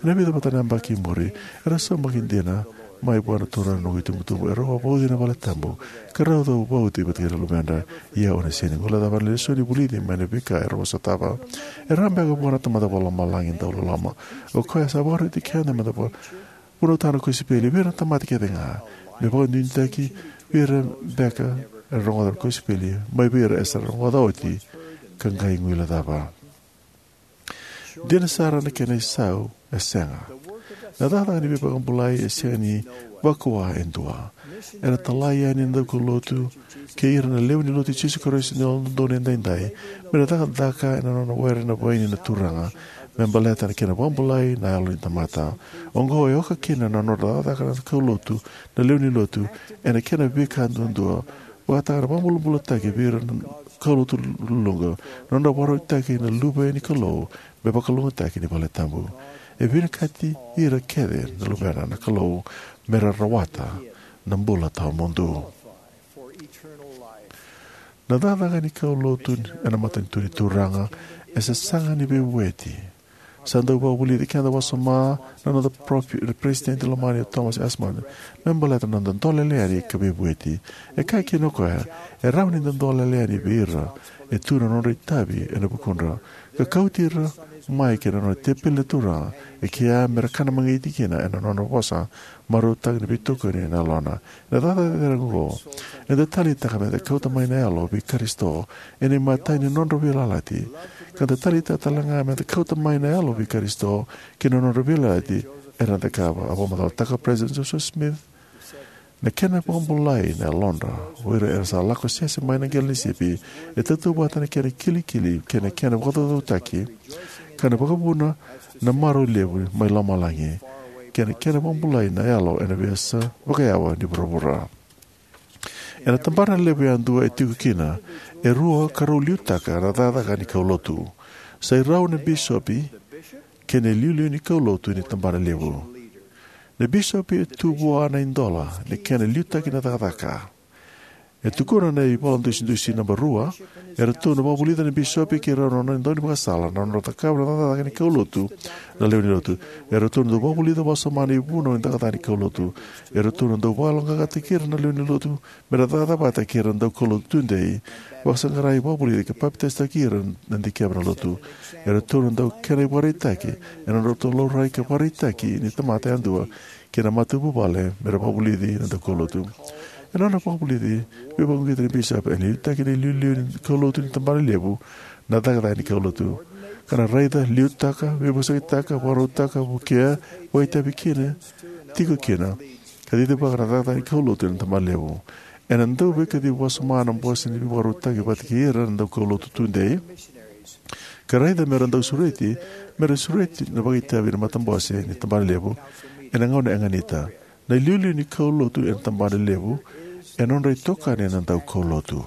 Ena vica vata na yabaki i muri, era saumaki dina mai vua na Turaga na noqu itubutubu, erau a vauci ena valetabu, ka rau a vauci vata kei na luvedra. Ia au na sega ni guilecava na lesoni vulici mai na veika erau a sotava. E rawa beka vua na Tamada Vakalomalagi dau loloma, o koya sa vakaroti keda meda vakavunautaka na kosipeli vei ira na tamata kece ga, me vakanuinuitaki vei ira beka era rogoca na kosipeli mai vei ira era sa rogoca oti ka qai guilecava? Dina sara na kena isau e sega. Na cakacaka ni veivakabulai e sega ni vakua e dua. Era talai yani na daukaulotu kei ira na lewe ni Lotu i Jisu Karisito ni Yalododonu Edaidai me ra cakacaka ena nona were na vaini na Turaga me baleta na kena vakabulai na yalo ni tamata. Oqo e oka kina na nodra cakacaka na kaulotu, na lewe ni Lotu, ena kena veika duadua, vakataka na vakabulabulataki vei ira na kaulotu luluqa, na nodra vakarautaki na luve ni Kalou me vakalougatataki ni valetabu. E vinakati ira kece na luvena na Kalou me ra rawata na bula tawamudu. Na cakacaka ni kaulotu ena matanitu ni Turaga e sasaga ni veivueti. Sa dau vakavulici keda wasoma na noda profi-, na Peresitedi lomani o Thomas S. Monson me baleta na noda dolele yani ka veivueti. E kaya kina o koya, e rawa ni da dolele yani vei ira e tu na nodra itavi ena vukudra, ka kauti ira mai ki na nona tepeli na Turaga, e kea me ra kana magiti kina ena nona vosa marautaki ni veitokoni ena yalona. Ena cakacaka cecere oqo, eda taleitaka meda kauta mai na yalo vei Karisito ena imatai ni nodra veiyalayalati, ka da taleitaka tale ga meda kauta mai na yalo vei Karisito ki na nodra veiyalayalati era na cakava. A vakamacalataka o President Joseph Smith, na kena vakabulai na yalodra o ira era sa lako sese mai na qele ni sipi e tautauvata na kena kilikili kei na kena vakacaucautaki, ka na vakavuna na marau levu mai lomalagi, kei na kena vakabulai na yalo ena veiyasa vakayawa ni vuravura. Ena tabana levu yadua e tiko kina e rua ka rau liutaka na cakacaka ni kaulotu. Sai rau na bisopi kei na iliuliu ni kaulotu ni tabana levu. Na bisopi e tu vua na idola ni kena liutaki na cakacaka. E tukuna na ivola dusidusi naba rua, eratou na vakavulica na bisopi kei rau na nona daunivakasala na nodra cakava na cakacaka ni kaulotu na lewe ni lotu. Eratou na dau vakavulica wasoma na ivunau ni cakacaka ni kaulotu. Eratou na dau vakayaloqaqataki ira na lewe ni lotu me ra cakacaka vata kei ira na daukaulotu tudei, vakasaqarai, vakavulici ka papitaisotaki ira na dikeva na lotu. Eratou na dau kena ivakaraitaki ena nodratou laurai ka vakaraitaki ni tamata yadua kei na matavuvale me ra vakavulici na daukaulotu. Ena nona vakavulici veivakauqeti na bisopi, ena liutaki na iliuliu ni kaulotu ni tabana levu na cakacaka ni kaulotu, ka na raica, liutaka, veivosakitaka, vakarautaka, vukea, vakaitavi kina, tiko kina, ka cicivaka na cakacaka ni kaulotu ena tabana levu. Ena dau veikacivi wasoma na bose ni veivakarautaki vata kei ira na daukaulotu tudei, ka raica me ra dau sureti, me ra sureti na vakaitavi na matabose ni tabana levu ena gauna e ganita. Na iliuliu ni kaulotu ena tabana levu e nodra itokani na daukaulotu,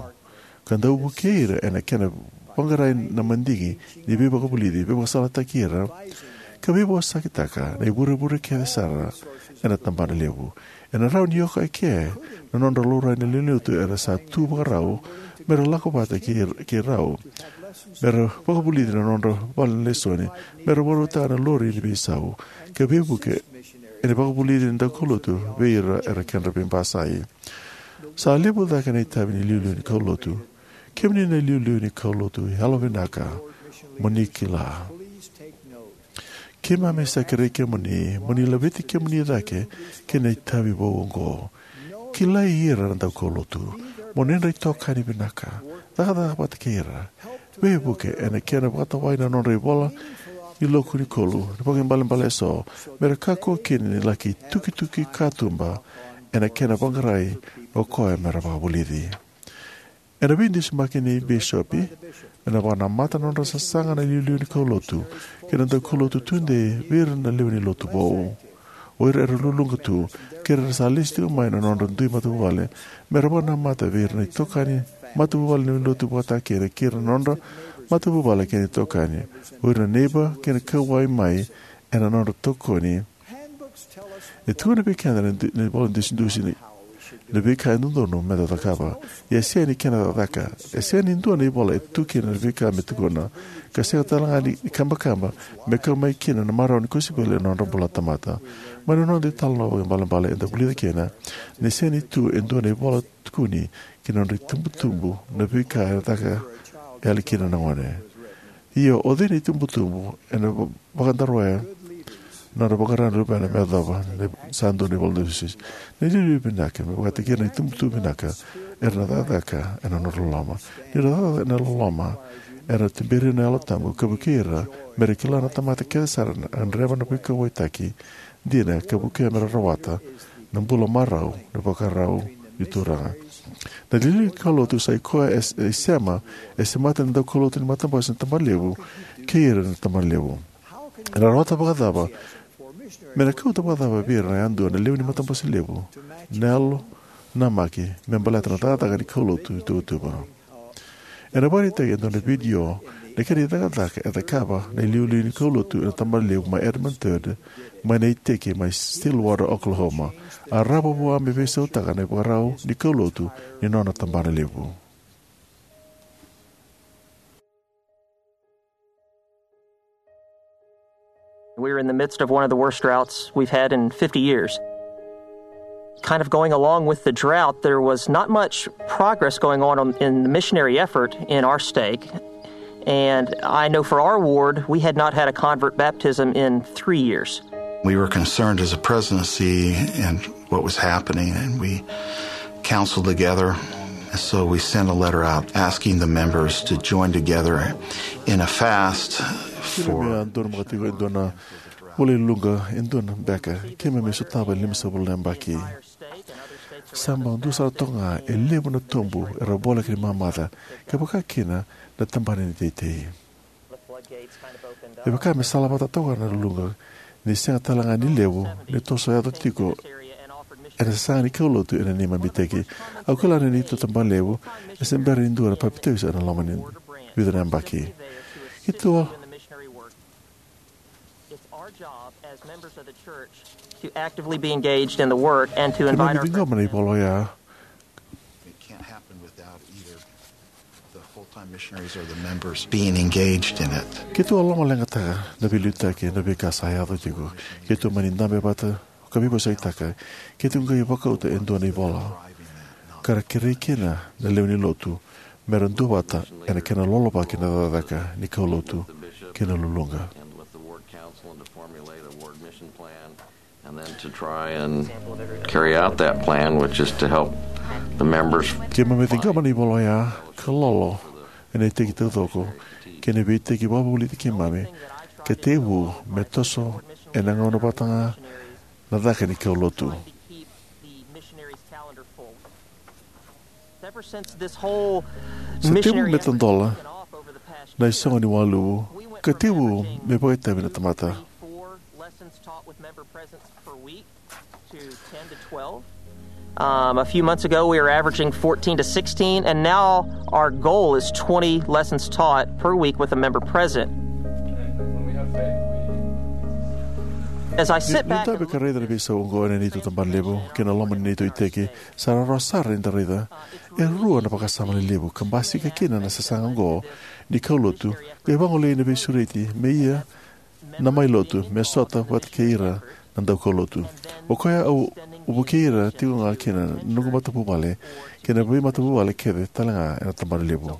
ka dau vukei ira ena kena vaqarai na madigi ni veivakavulici, veivakasalataki ira ka veivosakitaka na ivurevure kece sara ena tabana levu. Ena rawa ni oka eke na nodra laurai na lewenilotu era sa tu vakarau me ra lako vata kei, kei rau, me ra vakavulici na nodra vale na lesoni, me ra vakarautaka na lori ni veisau, ka veivuke ena vakavulici ni daukaulotu vei ira era kedra veibasai. Sa levu cake na itavi ni iliuliu ni kaulotu. Kemuni na iliuliu ni kaulotu, yalovinaka mo ni kila. Keimami sa kerei kemuni mo ni laveti kemuni cake kei na itavi vou oqo. Kilai ira na daukaulotu, mo ni nodra itokani vinaka. Cakacaka vata kei ira. Veivuke ena kena vakatawai na nodra ivola ni loku ni kolu, ni vakaibalebale eso, me ra kakua kina ni laki tukituki katuba ena kena vaqarai o koya me ra vakavulici. Ena veidusimaki ni bisopi, ena vakanamata na nodra sasaga na iliuliu ni kaulotu kei na daukaulotu tudei vei ira na lewe ni lotu vou. O ira era luluqa tu, kei ira era sa lesi tiko mai na nodra dui matavuvale, me ra vakanamata vei ira na itokani matavuvale ni lotu vakatakina, kei ira na nodra matavuvale kei na itokani, o ira na neiba kei na kauwai mai ena nodra tokoni. E tukuna vei keda na du-, na ivola dusidusi ni, na veika e dodonu meda cakava. Ia e sega ni kena cakacaka. E sega ni dua na ivola e tu kina na veika me tukuna, ka sega tale ga ni kabakaba me kau mai kina na marau ni kosipeli ena nodra bula na tamata. Mai na noda italanoa vakaibalebale eda vulica kina ni sega ni tu e dua na ivola tukuni ki na nodra itubutubu na veika e caka yali kina na gone. Ia o cei na itubutubu ena va-, vakadaroya na nodra vaqara na luvena me yacova na sa dua na ivola dusidusi? Na iliuliu vinaka me vakataki ira na itubutubu vinaka era na cakacaka ena nodra loloma. Ni ra cakacaka ena loloma, era na tuberi ira na Yalo Tabu ka vukei ira me ra kila na tamata kece sara na gadreva na veikauwaitaki dina ka vukea me ra rawata na bula marau, na ivakarau ni Turaga. Na iliuliu ni kaulotu sa i koya e, e sema, e semata na daukaulotu ni matabose ni tabana levu kei ira na tabana levu. Ena rawata vakacava, me na kauta vakacava vei ira yadua na lewe ni matabose levu na yalo namaki me baleta na cakacaka ni kaulotu i tuvatuva. Ena vakaraitaki e dua na vidio na kena icakacaka e cakava na iliuliu ni kaulotu ena tabana levu mai Edmond Third, mai na iteki mai Stillwater, Oklahoma. A rawa vua me veisautaka na ivakarau ni kaulotu ni nona tabana levu. We were in the midst of one of the worst droughts we've had in fifty years. Kind of going along with the drought, there was not much progress going on, on in the missionary effort in our stake. And I know for our ward, we had not had a convert baptism in three years. We were concerned as a presidency and what was happening, and we counseled together. So we sent a letter out asking the members to join together in a fast for Keimami a donumaka tiko e dua na vula i Luqa, e dua na beka keimami sotava e limasagavulu na yabaki. Sa bau dua sara toka ga e levu na tobu era vola kina mamaca, ka vaka kina na tabana ni teitei. E vaka me salavata toka na Luqa, ni sega tale ga ni levu ni toso yaco tiko ena sasaga ni kaulotu ena neimami iteki. Au kila na neitou tabana levu e se bera ni dua na papitaiso ena loma ni vica na yabaki. Keitou It's our job as members of the church to actively be engaged in the work and to invite our Keimami ciqoma na ivola oya. It can't happen without either the full-time missionaries or the members being engaged in it. Keitou a lomaleqataka na veiliutaki na veika sa yaco tiko. Keitou mani dabe vata ka veivosakitaka. Keitou qai vakauta e dua na ivola ka ra kerei kina na lewe ni lotu me ra duavata ena kena lolovaki na cakacaka ni kaulotu kei na luluqa. And with the ward council and to formulate a ward mission plan, and then to try and carry out that plan, which is to help the members. Keimami ciqoma na ivola oya ka lolo ena iteki taucoko kei na veiiteki vakavulici keimami, ka tekivu me toso ena gauna vata ga na caka ni kaulotu. Sa tekivu me tadola na isogo ni waluvu ka tekivu me vakaitavi na tamata. Um, a few months ago, we were averaging fourteen to sixteen, and now our goal is twenty lessons taught per week with a member present. As I sit back and look at this, ka raica na veisau oqo ena neitou tabana levu kei na loma ni neitou iteki, sa rawarawa sara ni da raica e rua na vakasama lelevu ka basika kina na sasaga oqo ni kaulotu, qai vagolei na veisureti me ia na mai lotu me sota vata kei ira na daukaulotu. O koya au vukei ira tiko ga kina na noqu matavuvale kei na veimatavuvale kece tale ga ena tabana levu.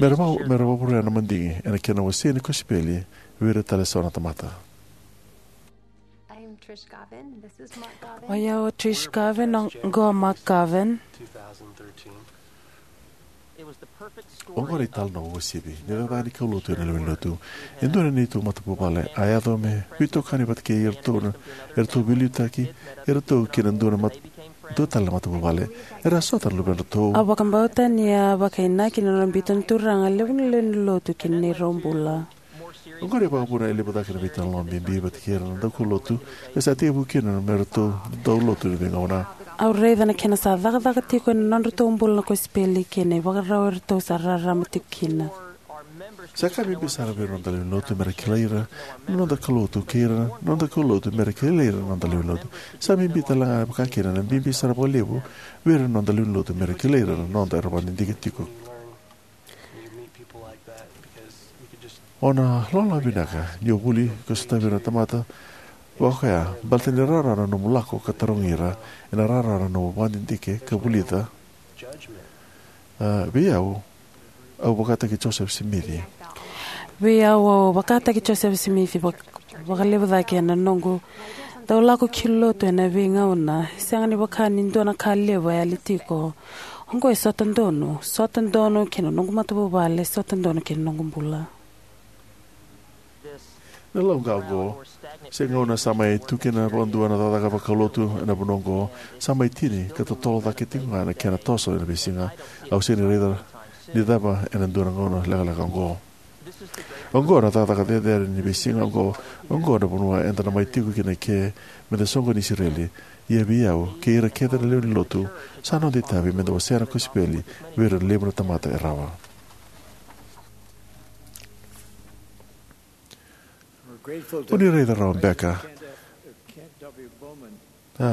Me ra vau, me ra vauvurea na madigi ena kena wasei ni kosipeli vei ira tale so na tamata. O yau o Trish Garvin, oqo o Mark Garvin. Oqo na italanoa uasivi ni cakacaka ni kaulotu ena lewe ni lotu. E dua na neitou matavuvale a yaco me veitokani vata kei iratou na, eratou veiliutaki eratou kei na dua na mat-, dua tale na matavuvale. Era a sota na luvedratou. Au vakabauta ni a vakainaki na nona biuta na Turaga e levu na lewe ni lotu ki na neirau bula. Oqori e vakavuna e levu cake na veitalanoa bibi vata kei ira na daukaulotu, e sa tekivu kina me ratou dau lotu ena veigauna. Au raica na kena sa cakacaka tiko ena nodratou bula na kosipeli kei na ivakarau eratou sa rarama tiko kina. Sa ka bibi sara vei ira na noda lewe ni lotu me ra kilai ira na noda kaulotu kei ira na noda kaulotu me ra kilai ira na noda lewe ni lotu. Sa bibi tale ga vakakina na bibi sara vakalevu vei ira na noda lewe ni lotu me ra kilai ira na noda era vakadidike tiko. O na loloma vinaka ni o vuli ka sotavi ira na tamata vakakoya baleta ni rawarawa na nomu lako ka tarogi ira, ena rawarawa na nomu vakadidike ka vulica. A, vei au, au vakataki Joseph Smith. Vei au, au vakataki Joseph Smith vak-, vakalevu cake ena noqu dau lako ki lotu ena veigauna. Sega ni vaka ni dua na ka levu e yali tiko. Oqo e sota donu, sota donu kei na noqu matavuvale, sota donu kei na noqu bula. Na lauqa oqo, se gauna sa mai tu kina vakadua na cakacaka vakaulotu ena vanua oqo, sa mai tini ka totolo cake tiko ga na kena toso ena veisiga. Au sega ni raica ni cava ena dua na gauna lekaleka oqo. Oqo na cakacaka cecere ni veisiga oqo. Oqo na vanua eda na mai tiko kina ke meda soqoni Isireli. Ia vei au kei ira kece na lewe ni lotu, sa noda itavi meda wasea na kosipeli vei ira na levu na tamata e rawa. O ni raica rawa beka, a,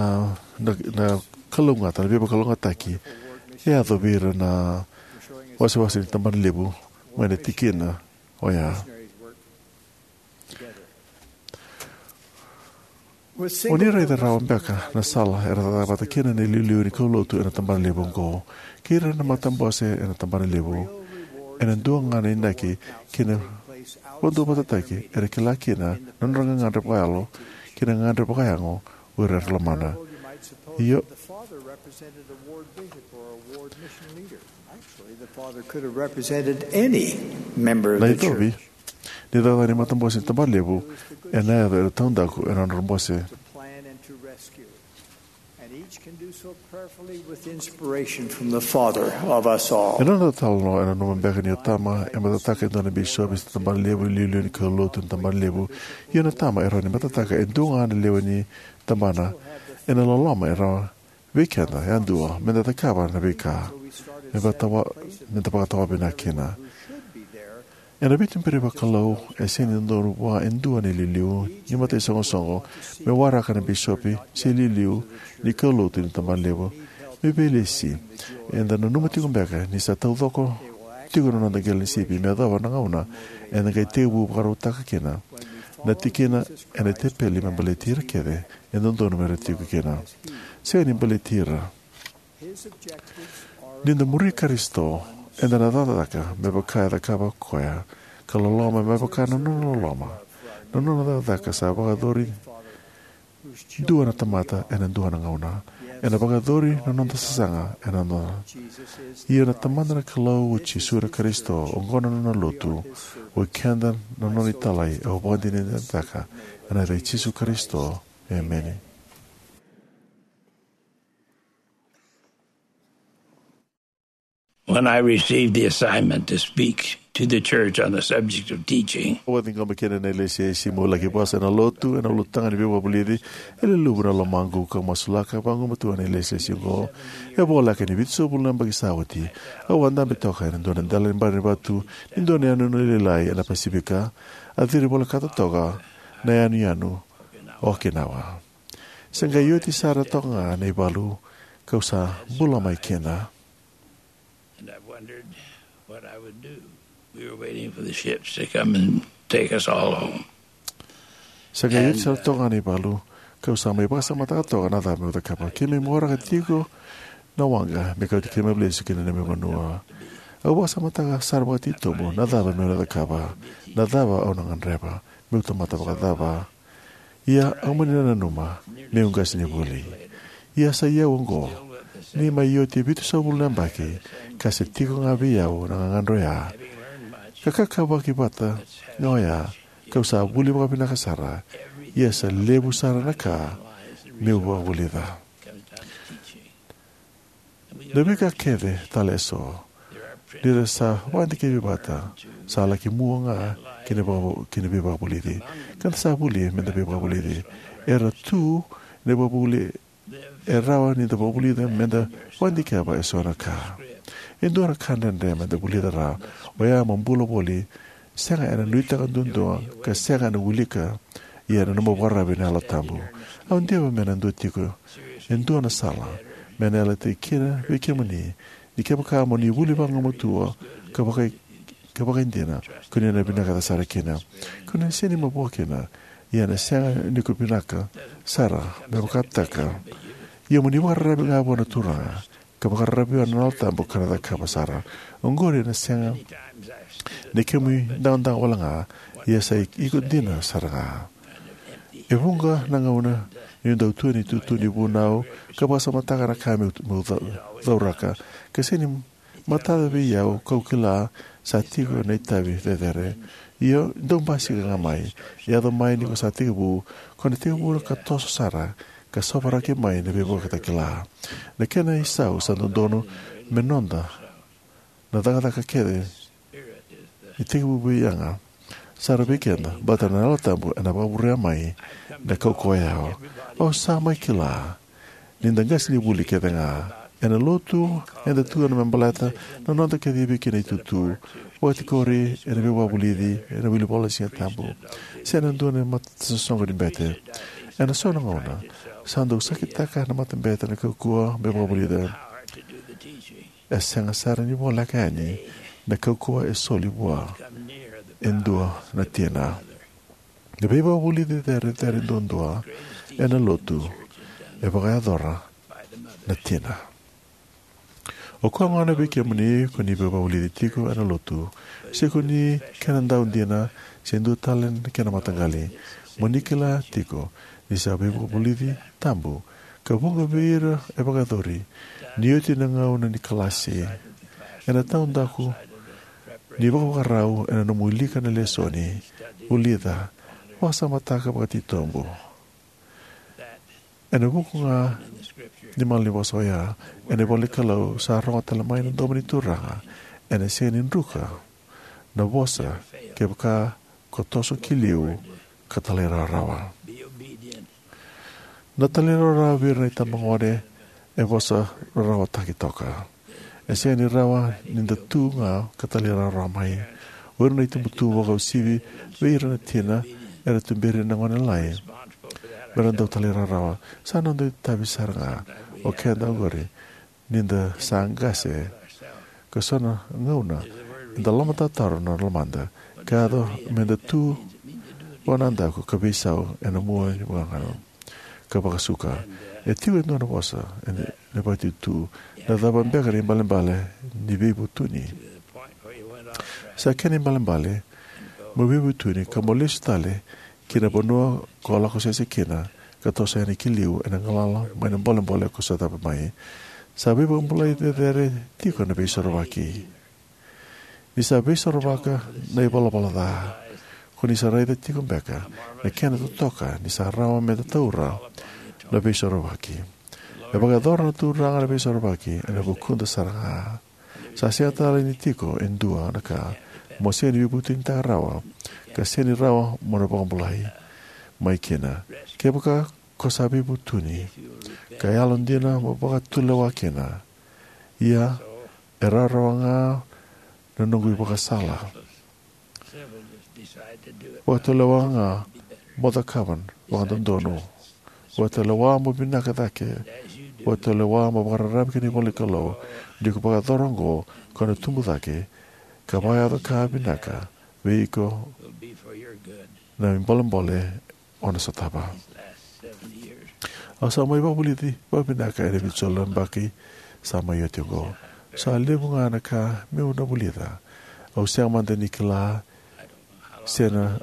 na, na kalougata, na veivakalougatataki e yaco vei ira na wasewase ni tabana levu mai na tikina oya. O ni raica rawa beka na sala era cakacaka vata kina na iliuliu ni kaulotu ena tabana levu oqo kei ira na matabose ena tabana levu. Ena dua ga na inaki kei na vakaduavatataki era kila kina na nodra gagadre vakayalo kei na gagadre vakayago o ira era lomana. Io, Na icovi ni cakacaka ni matabose ni tabana levu ena yaco ena taudaku ena nodra bose. Ena noda talanoa ena nanuma beka ni o tama e matataka e dua na bisopi se tabana levu, iliuliu ni kaulotu ni tabana levu. Ia na tama e rawa ni matataka e dua ga na lewe ni tabana ena loloma e rawa vei keda yadua meda cakava na veika me vakatawa, meda vakatawa vinaka kina. Ena veituberi vakalou e sega ni dodonu vua e dua na iliuliu ni mataisoqosoqo me waraka na bisopi se iliuliu ni kaulotu ni tabana levu me veilesi. Eda nanuma tiko beka ni sa taucoko tiko na noda qele ni sipi me yacova na gauna eda qai tekivu vakarautaka kina na tikina ena tepeli me baleti ira kece e dodonu me ra tiko kina. Sega ni baleti ira. Ni da muri Karisito, eda na cakacaka me vaka e cakava koya, ka loloma me vaka na nona loloma. Na nona cakacaka sa vakayacori dua na tamata ena dua na gauna. Ena vakayacori na noda sasaga ena noda. Ia na Tamada na Kalou o Jisu na Karisito, oqo na nona lotu, o keda na nona italai, au vakadinadinataka ena yaca i Jisu Karisito. Emeni. When I received the assignment to speak to the church on the subject of teaching. Au a ciqoma kina na ilesilesi meu laki vosa ena lotu ena ulutaga ni veivakavulici. E luluvu na lomaqu kau masulaka vagumatua na ilesilesi oqo. E voleka ni vitusagavulu na yabaki sa oti, au a dabe toka ena dua na dela ni barivatu ni dua na yanuyanu lailai ena Pasifika, a ciri volekata toka na yanuyanu o Okinawa. Se qai oti sara toka ga na ivalu kau sa bula mai kina. And I wondered what I would do. We were waiting for the ships to come and take us all home. Se qai oti sara toka ga na ivalu kau sa mai vakasamataka toka na cava meu cakava. Keimami waraka tiko na waqa me kauti keimami lesu ki na neimami vanua. Au vakasamataka sara vakatitobu na cava meu na cakava, na cava au na gadreva, meu tamata vakacava. Ia au mani nanuma meu qasenivuli. Ia sa i au oqo, ni mai oti e vitusagavulu na yabaki, ka se tiko ga vei au na gagadre oya. Ka kakavaki vata ga oya, kau sa vuli vakavinaka sara. Ia sa levu sara na ka meu vakavulica. Na veika kece tale eso, ni ra sa vakadikevi vata, sa laki mua ga ki na vaka-, ki na veivakavulici. Ka da sa vuli me da veivakavulici. Era tu na veivakavuvuli, e rawa ni da vakavulica me da vakadikeva eso na ka. E dua na ka dredre me da vulica rawa, oya mo bula voli, sega ena nuitaka duadua, ka sega ena wilika, ia ena nomu vakararavi na Yalo Tabu. Au diva me na dua tiko e dua na sala me na yalataki kina vei kemuni, ni kevaka mo ni vuli vagumatua ka vaka, ka vakaidina, ko ni na vinakata sara kina. Ko ni sega ni mavoa kina, ia na sega ni ko vinaka sara me vakataka. Ia mo ni vakararavi ga vua na Turaga, ka vakararavi vua na Yalo Tabu ka na cakava sara. Oqori ena sega ni kemu idagodao wale ga, ia sa i-, iko dina sara ga. E vuqa na gauna niu dau tu ena itutu ni vunau ka vakasamataka na ka meu, meu cau-, cauraka. Ka sega ni matata vei au kau kila sa tiko na itavi cecere. Ia dau basika ga mai. E yaco mai ni ko sa tekivu, ko na tekivu ka toso sara, ka sovaraki mai na veivakatakila. Na kena isau sa dodonu me noda na cakacaka kece ni tekivu vei yaga sara vei keda, baleta na Yalo Tabu ena vakavurea mai na kaukauwa ya. Au sa mai kila ni da qasenivuli kece ga. Ena lotu eda tu ena me baleta na noda kacivi kina itutu, vakatikori ena veivakavulici, ena wilivola ni Siga Tabu, se ena dua na matasoqo ni bete. Ena so na gauna sa dau sakitaka na matabete na kaukauwa me vakavulica. E sega sara ni voleka yani na kaukauwa e soli vua e dua na tina. Na veivakavulici cecere duadua ena lotu e vakayacora na tina. O koya gona vei kemuni ko ni veivakavulici tiko ena lotu, se ko ni kena dau dina, se dua tale na kena mataqali, mo ni kila tiko ni sa veivakavulici tabu ka vuqa vei ira e vakayacori ni oti na gauna ni kalasi. Ena taudaku ni vakavakarau ena nomu wilika na lesoni, vulica, vakasamataka vakatitobu. Ena vuku ga ni malanivosa oya, ena ivola ni Kalou, sa rogo tale mai na domo ni Turaga, ena sega ni druka na vosa kevaka ko toso ki liu ka talairawarawa. Na talairawarawa vei ira na itabagone e vosa rarawataki toka. E sega ni rawa ni da tu ga ka talairawarawa mai. O ira na itubutubu vakauasivi vei ira na tina era tuberi na gone lalai me ra dau talairawarawa. Sa noda itavi sara ga o keda oqori ni da sa qase, ka so na gauna eda lomatarotaro na lomada ka yaco me da tu vanadaku ka veisau ena mua ni vagana ka vakasuka. E tiko e dua na vosa ena, ena vakaitutu, na cava beka na ibalebale ni veivutuni? Sa kena ibalebale mo veivutuni ka mo lesu tale ki na vanua ko lako sese kina, ka toso yani ki liu ena galala mai na bolebole ko sotava mai. Sa veivakabulai cecere tiko na Veisorovaki. Ni sa veisorovaka na ivalavala ca, ko ni sa raica tiko beka na kena totoka ni sa rawa me da taura na Veisorovaki. E vakayacora na Turaga na Veisorovaki ena vukuda sara ga. Sa sega tale ni tiko e dua na ka mo sega ni veivutunitaka rawa, ka sega ni rawa mo na vakabulai mai kina. Kevaka ko sa veivutuni, ka yalodina mo vakatulewa kina. Ia, e rawarawa ga na noqu ivakasala. Vakatulewa ga mo cakava vakadodonu. Vakatulewa mo vinaka cake. Vakatulewa mo vakararavi ki na ivola ni Kalou. Ni ko vakayacora oqo, ko na tubu cake ka vakayaco ka vinaka vei iko na ibolebole o na sotava. Au sa mai vakavulici vakavinaka ena vitusagavulu na yabaki sa mai oti oqo. Sa levu ga na ka meu na vulica. Au sega mada ni kila se na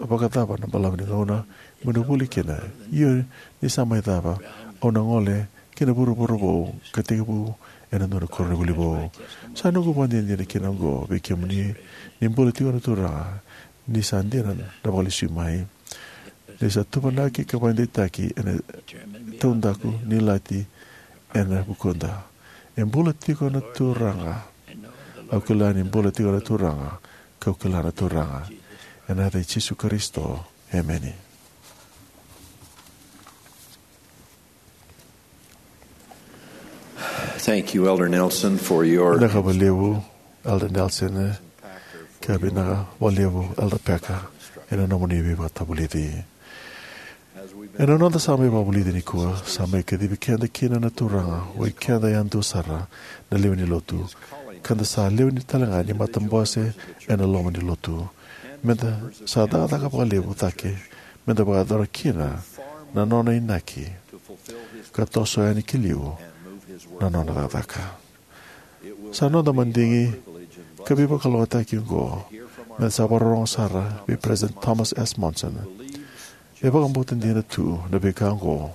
vakacava na balavu ni gauna meu na vuli kina. Ia ni sa mai cava, au na gole ki na vuravura vou ka tekivu ena dua na koronivuli vou. Sa noqu vakadinadina kina oqo vei kemuni ni bula tiko na Turaga, ni sa dina na vakalesui mai, ni sa tuvanaki ka vakadeitaki ena taudaku ni ilati ena vukuda. E bula tiko na Turaga. Au kila ni bula tiko na Turaga, kau kila na Turaga. Ena yaca i Jisu Karisito, emeni. Thank you, Elder Nelson, for your... Vinaka vakalevu, Elder Nelson, ka vinaka vakalevu, Elder Packer, ena nomuni veivakatavulici. Ena noda sa mai vakavulici nikua, sa mai kacivi keda kina na Turaga, o i keda yadua sara na lewe ni lotu, ka da sa lewe ni talega ni matabose ena loma ni lotu. Meda sa cakacaka vakalevu cake meda vakayacora kina na nona inaki ka toso yani ki liu na nona cakacaka. Sa noda madigi ka veivakalougatataki oqo meda sa vakarorogo sara vei President Thomas S. Monson. E vakabauta dina tu na veika oqo.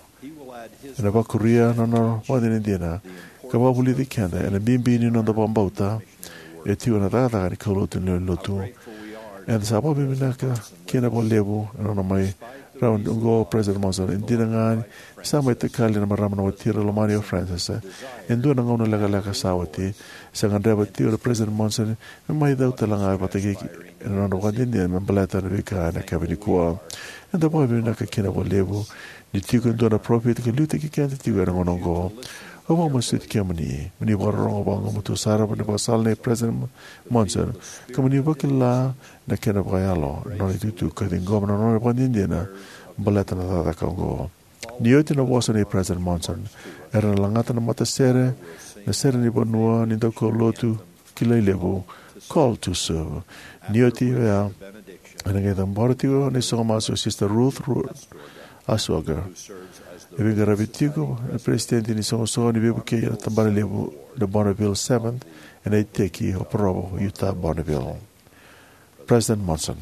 Ena vakuria na nona vakadinadina ka vakavulici keda ena bibi ni noda vakabauta e tiko na cakacaka ni kaulotu ni lewe ni lotu. Eda sa vakavinavinaka kina vakalevu ena nona mai rawa oqo o President Monson. E dina ga ni sa mai takali na marama na watira lomani o Frances e dua na gauna lekaleka sa oti, sa gadreva tiko na President Monson me mai cau tale ga vata kei ena nona vakadinadina me baleta na veika ena yakavi nikua. Eda vakavinavinaka kina vakalevu ni tiko e dua na parofita ka liutaki keda tiko ena gauna oqo. Au vakamasuti kemuni mo ni vakarorogo vakagumatua sara ena ivakasala nei President Monson ka mo ni vakila na kena vakayalo na nona itukutuku ka ciqoma na nona vakadinadina baleta na cakacaka oqo. Ni oti na vosa nei President Monson, era na lagata na matasere, na sere ni vanua ni daukaulotu kilai levu, Call to Serve. Ni oti oya, ena qai cabora tiko na isogo masu o Sister Ruth Ru- Oswalder, e veiqaravi tiko na peresitedi ni soqosoqo ni veivukei ena tabana levu na Bonneville Seventh ena iteki o Provo, Utah, Bonneville. President Monson.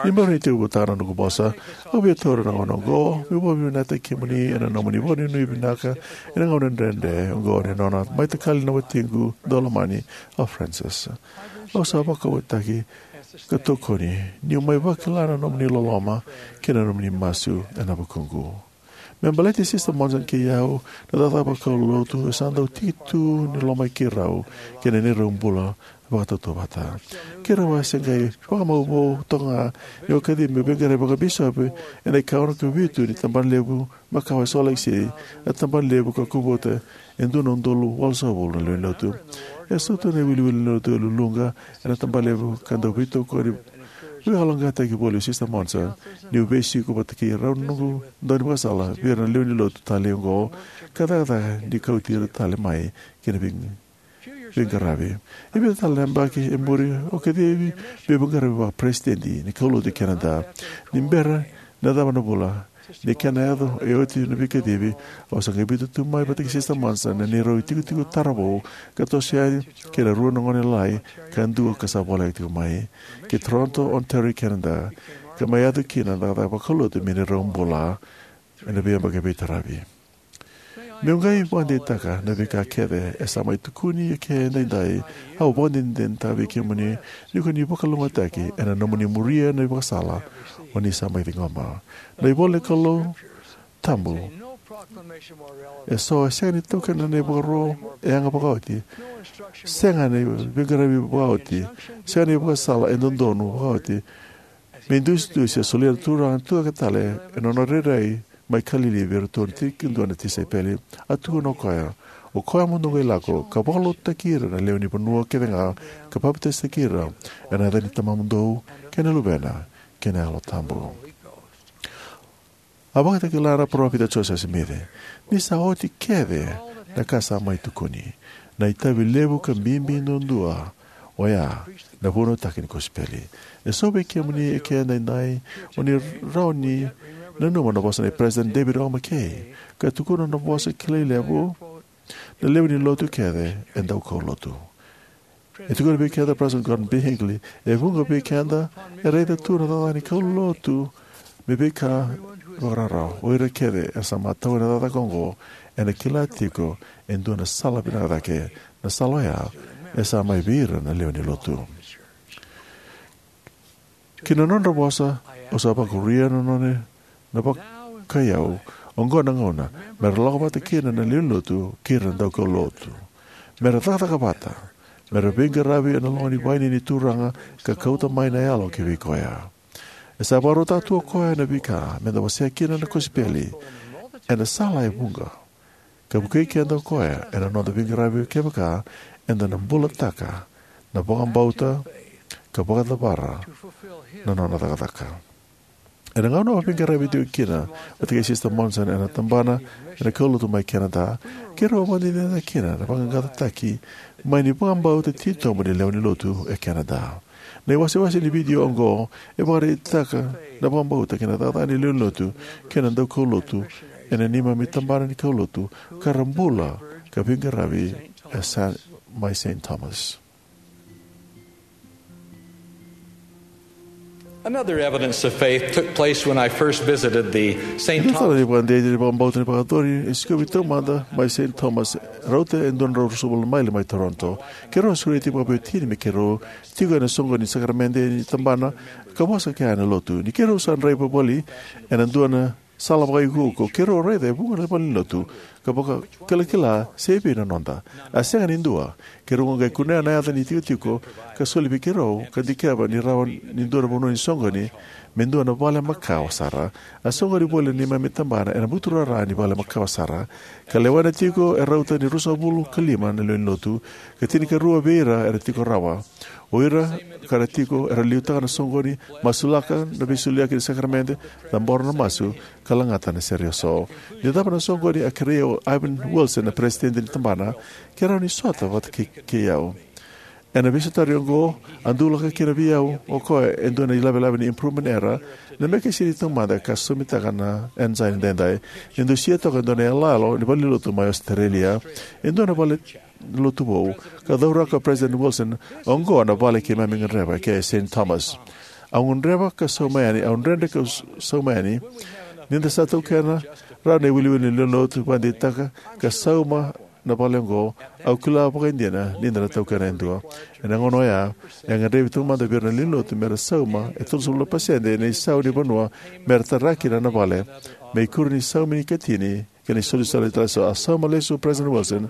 Ni bera ni tekivutaka na noqu vosa, au via taura na gauna oqo meu vakavinavinakataki kemuni ena nomuni vakanuinui vinaka ena gauna dredre oqo ni nona mai takali na watiqu daulomani o Frances. Au sa vakauataki ka tokoni niu mai vakila na nomuni loloma kei na nomuni masu ena vukuqu. Me baleti Sister Monson kei au, na cakacaka vakaulotu e sa dau tiki tu ni loma i keirau kei na neirau bula vakatautauvata. Keirau a se qai vakamau vou toka ga niu a kacivi meu veiqaravi vakabisopi ena ikaono ka vitu ni tabana levu makawa e Salt Lake City, na tabana levu ka kovuta e dua na udolu walusagavulu na lewe ni lotu. E so tu na iwiliwili ni lotu e luluqa ena tabana levu ka dau veitokoni. Veivakayaloqaqataki voli o Sister Monson niu veisiko vata kei rau na noqu daunivakasala vei ira na lewe ni lotu talei oqo ka cakacaka ni kauti ira tale mai ki na vei- veiqaravi. E vica tale na yabaki e muri au kacivi meu veiqaravi vakaperesitedi ni kaulotu e Canada. Ni bera na cava na vula ni kena yaco e oti na veikacivi, au sa qai biuta tu mai vata kei Sister Monson na neirau itikotiko taravou ka toso yani kei na rua na gone lalai ka dua ka sa voleka tiko mai ki Toronto, Ontario, Canada, ka mai yaco kina na cakacaka vakaulotu me neirau bula ena veiyabaki veitaravi. Meu qai vakadeitaka na veika kece e sa mai tukuni eke edaidai. Au vakadinadinataka vei kemuni ni ko ni vakalougatataki ena nomuni muria na ivakasala o ni sa mai ciqoma. Na ivola ni Kalou tabu Eso e sega ni taukena na ivakaro e yaga vakaoti, sega ni veiqaravi vakaoti, sega ni ivakasala e dodonu vakaoti me idusidusi a solia na Turaga ni tucake tale ena nona rairai mai Kalili vei iratou na tinikadua na tisaipeli. A tukuna o koya, o koya mo dou qai lako ka vakalotutaki ira na lewe ni vanua kece ga, ka papitaisotaki ira ena yaca ni Tamamudou kei na Luvena kei na Yalo Tabu. A vakatakila na Parofita Josefa Simici, ni sa oti kece na ka sa mai tukuni. Na itavi levu ka bibi duadua oya na vunautaki ni kosipeli. E so vei kemuni eke edaidai o ni rawa ni nanuma na vosa nei President David O. McKay, ka tukuna na vosa kilai levu, na lewe ni lotu kece e dau kaulotu. E tukuna vei keda President Gordon B. Hinckley, e vuqa vei keda e raica tu na cakacaka ni kaulotu me veika vakararawa. O ira kece e sa matau ena cakacaka oqo ena kila tiko e dua na sala vinaka cake, na sala oya e sa mai vei ira na lewe ni lotu. Ki na nodra vosa, au sa vakuria na nona na vakaiyau. Oqo na gauna me ra lako vata kina na lewe ni lotu kei ira na daukaulotu, me ra cakacaka vata, me ra veiqaravi ena loma ni vaini ni Turaga ka kauta mai na yalo ki vei koya. E sa vakarautaka tu o koya na veika me da wasea kina na kosipeli ena sala e vuqa, ka vukei keda o koya ena noda veiqaravi kevaka eda na bulataka na vakabauta ka vakacavara na nona cakacaka. Ena gauna au veiqaravi tiko kina vata kei Sister Monson ena tabana ena kaulotu mai Canada, keirau a vakadinadinataka kina na vaqaqacotaki mai ni vakabauta titobu ni lewe ni lotu e Canada. Na iwasewase ni vidio oqo e vakaraitaka na vakabauta kei na cakacaka ni lewe ni lotu kei na daukaulotu ena neimami tabana ni kaulotu ka ra bula ka veiqaravi e Sa-, mai Saint Thomas. Another evidence of faith took place when I first visited the Saint Ena Thomas. Tale ni vakadei ni vakabauta ni vakayacori e sikovi taumada mai Saint Thomas, rauta e dua na drau ruasagavulu na maile mai Toronto. Keirau a sureti vakaveiwatini me keirau tiko ena soqoni ni sakaramede ni tabana ka vosa kei na lotu. Ni keirau sa draiva voli ena dua na sala vakaiukuuku, keirau a raica e vuqa na valenilotu ka vakakilakila se evei na noda. A sega ni dua. Keirau qai kunea na yaca ni tikotiko ka soli vei keirau ka dikeva ni rawa ni dua na vanua ni soqoni me dua na vale makawa sara. A soqoni voli na neimami tabana ena buturara ni vale makawa sara, ka lewena tiko e rauta ni ruasagavulu ka lima na lewe ni lotu, ka tinikarua vei ira era tiko rawa. O ira ka ra tiko era liutaka na soqoni, masulaka na veisoliyaki ni sakaramede, cabora na masu, ka lagata na sere eso. Ni cava na soqoni, a kerei au o Ivan Wilson, na peresitedi ni tabana, ke rawa ni sota vata kei, kei au. Ena veisotari oqo, a dulaka kina vei au o koya e dua na ilavelave ni Improvement Era, na mekesini taumada ka sosomitaka na ensign edaidai. Ni dusia toka e dua na iyaloyalo ni valenilotu mai Australia, e dua na vale lotu vou, ka cauraka o President Wilson, oqo na vale keimami gadreva, ke Saint Thomas. Au gadreva ka sauma yani, au dredre ka s-, sauma yani. Ni da sa taukena rawa na iwiliwili ni lewe ni lotu, vakadeitaka ka sauma na vale oqo, au kila vakaidina ni da na taukena e dua. Ena gauna oya, e gadrevi taumada vei ira na lewe ni lotu me ra sauma e tolusagavulu na pasede na isau ni vanua me ra tara kina na vale, me ikuri ni saumi ni katini kei na isolisoli tale eso. A sauma lesu o President Wilson,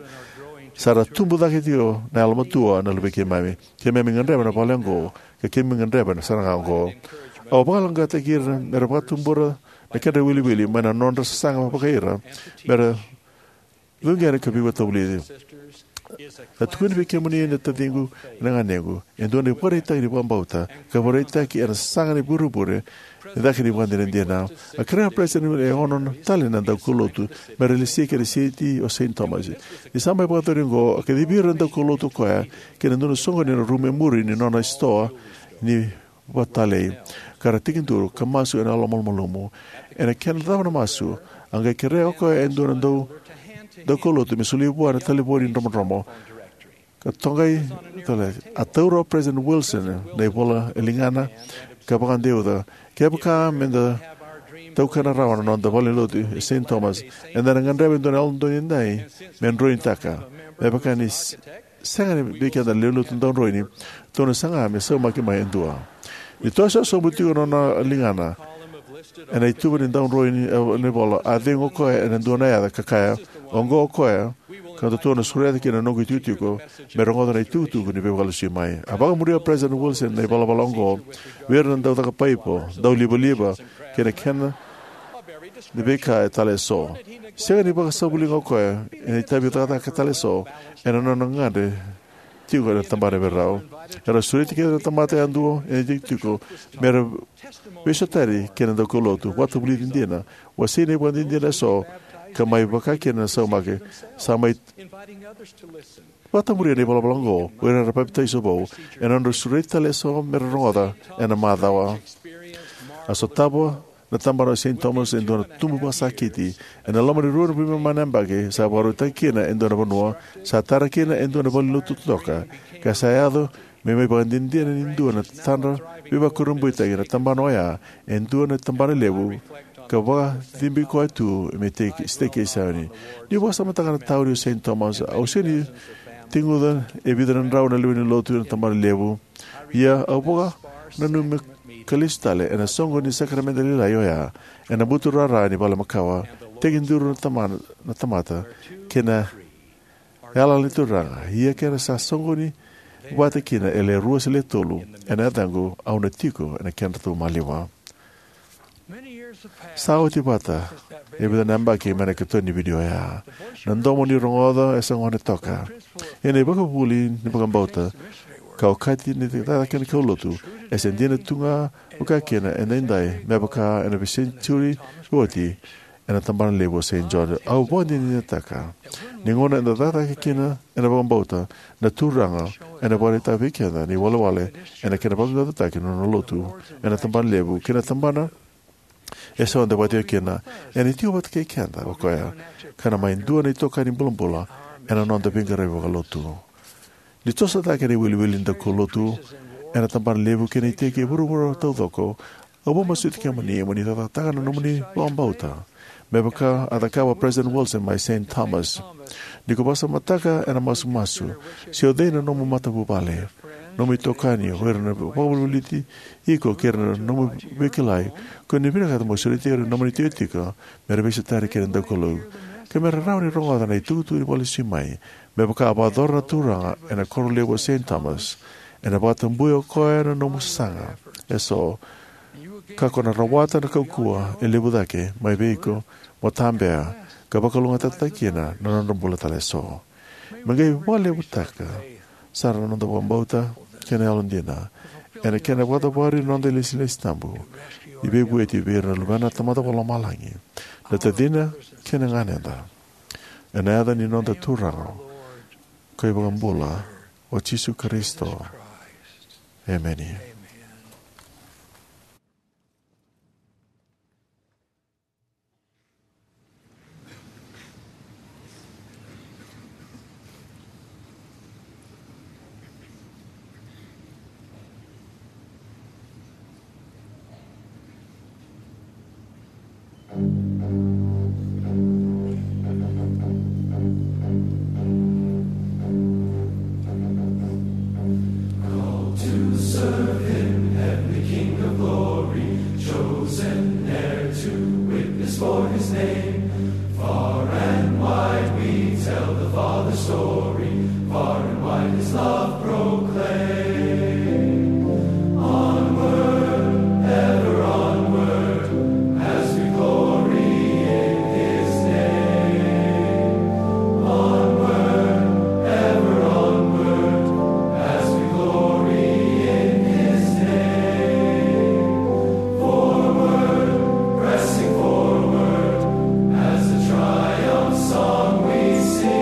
sa ra tubu cake tiko na yalomatua na luvei keimami. Keimami gadreva na vale oqo, ka keimami gadreva na sara ga oqo. Au vakaleqataki ira me ra vakatubura na kedra iwiliwili mai na nodra sasaga vakai ira me ra cuqena ka veivakavulici. Ka tukuni vei kemuni na taciqu, na ganequ, e dua na ivakaraitaki ni vakabauta ka vakaraitaki ena sasaga ni vurevure ni cake ni vakadinadina. A kerea o President e ono tale na daukaulotu me ra lesi ki na siti o Saint Thomas. Ni sa mai vakayacori oqo, a kacivi ira na daukaulotu o koya ki na dua na soqoni ena rumu e muri ni nona sitoa ni vakatalei, ka ra tekiduru ka masu ena yalomalumalumu. Ena kena cava na masu, a qai kerea o koya e dua na dau, daukaulotu me solia vua na talevoni dromodromo. Ka toqai tale, a taura o President Wilson na ivola e ligana ka vakadeuca, kevaka me da taukena rawa na noda valenilotu e Saint Thomas, eda na gadreva e dua na Yalododonu Edaidai me droinitaka. Me vaka ni s-, sega ni vei keda na lewe ni lotu dau droini, tou na saga me saumaki mai e dua. Ni toso sobu tiko na nona ligana, Ena ituva ni daudroi ni, eh, ni vola, a cegu o koya ena dua na yaca ka kaya, "Oqo o koya, ka datou na sureta kina na noqu itikotiko, me rogoca na itukutuku ni veivakalasui mai." A vakamuria o President Wilson na ivalavala oqo vei ira na daucaka paipo, daulivaliva, kei na kena ni veika e tale eso. Sega ni vakasavuliga o koya ena itavi cakacaka tale eso ena nona gadre tiko ena tabana vei rau. Era sureti kece na tamata yadua ena itikotiko me ra veisotari kei na daukaulotu, vakavulici dina, wasei na ivakadinadina eso, ka mai vaka kina na saumaki. Sa mai vakamuria na ivalavala oqo o ira era papitaiso vou ena nodra sureti tale eso me ra rogoca ena macawa. A sotava na tabana o Saint Thomas e dua na tubu vakasakiti. Ena loma ni rua na veivanua na yabaki, sa vakarautaki kina e dua na vanua, sa tara kina e dua na valenilotu totoka, ka sa yaco me mai vakadinadina ni dua na tadra veivakurabuitaki na tabana oya, e dua na tabana levu, ka vakacibi koya tu me teki, siteki e Saioni. Niu vakasamataka na tauni o Saint Thomas, au sega ni teguca e vica na drau na lewe ni lotu ena tabana levu. Ia, au vakananumi ka lesu tale ena soqo ni sakaramede lailai oya, ena buturara ni vale makawa, tekiduru na tamana, na tamata, kei na yalayala ni Turaga, ia kera sa soqoni vata kina e le rua se le tolu, ena yacaqu, au na tiko ena kedratou maliwa. Sa oti vata e vica na yabaki mai na keitou ni vidio oya. Na domo ni rogoca e sa gone toka. Ia na ivakavuvuli ni vakabauta, ka okati ni cakacaka ni kaulotu, e sa dina tu ga vaka kina edaidai, me vaka ena veisenitiuri oti, ena tabana levu o Saint George. Au vakadinadinataka ni gauna eda cakacaka kina ena vakabauta, na Turaga ena vakaraitaka vei keda na iwalewale ena kena vaqaqacotaki na nona lotu ena tabana levu kei na tabana eso eda vakaitikotiko kina. Ena tiko vata kei keda o koya, ka na mai dua na itokani bulabula ena noda veiqaravi vakalotu. Ni toso cake na iwiliwili ni daukaulotu ena tabana levu kei na iteki e vuravura taucoko, au vakamasuti kemuni mo ni cakacakataka na nomuni vakabauta, me vaka a cakava o President Wilson mai Saint Thomas. Ni ko vakasamataka ena masumasu se o cei na nomu matavuvale, nomu itokani, o ira na vakavolivoliti iko kei ira na nomu veikilai, ko ni vinakata mo sureti ira na nomuni itikotiko me ra veisotari kei na daukaulotu, ka me ra rawa ni rogoca na itukutuku ni vakalesui mai, me vaka a vakayacora na Turaga ena koro levu o Saint Thomas, ena vakatabuya o koya na nomu sasaga eso, ka ko na rawata na kaukauwa e levu cake mai vei iko mo tabea ka vakalougatataki kina na nodra bula tale eso. Me qai vakalevutaka sara na noda vakabauta kei na yalodina ena kena vakacavari na noda ilesilesi tabu ni veivueti vei ira na luvena na Tamada Vakalomalagi, na tacina kei na ganeda. Ena yaca ni noda Turaga ka iVakabula, o Jisu Karisito. Emeni. Called to serve him, heavenly King of glory, chosen heir to witness for his name. Far and wide we tell the Father's story, far and wide his love proclaim. Onward, ever onward, as we glory in his name. Onward, ever onward, as we glory in his name. Forward, pressing forward, as the triumph song we sing.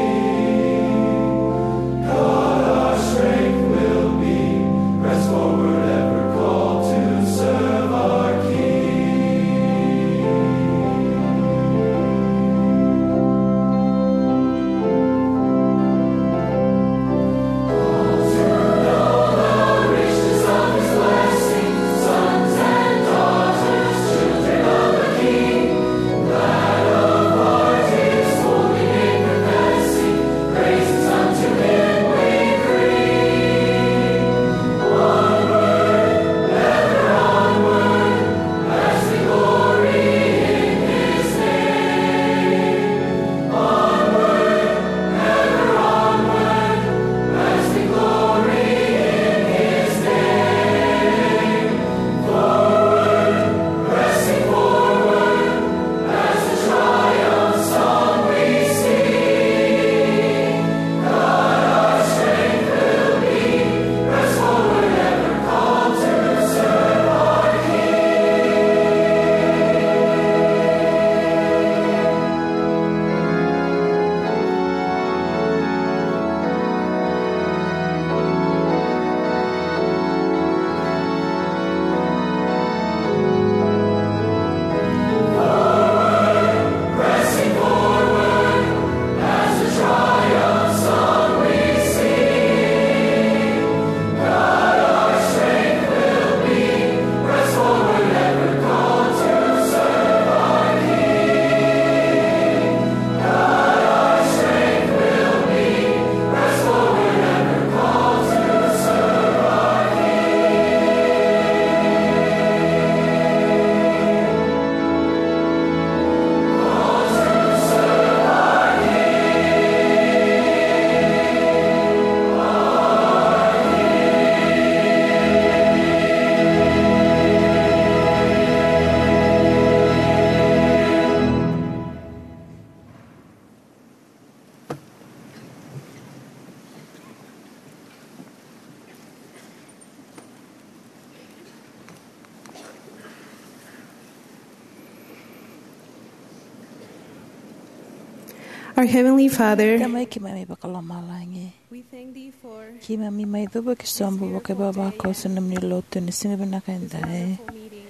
Our Heavenly Father, Tamai keimami vakalomalagi, we thank thee for keimami mai cuva ki sobu vakaivavakoso na nomuni lotu ena siga vinaka edai. Wonderful meeting.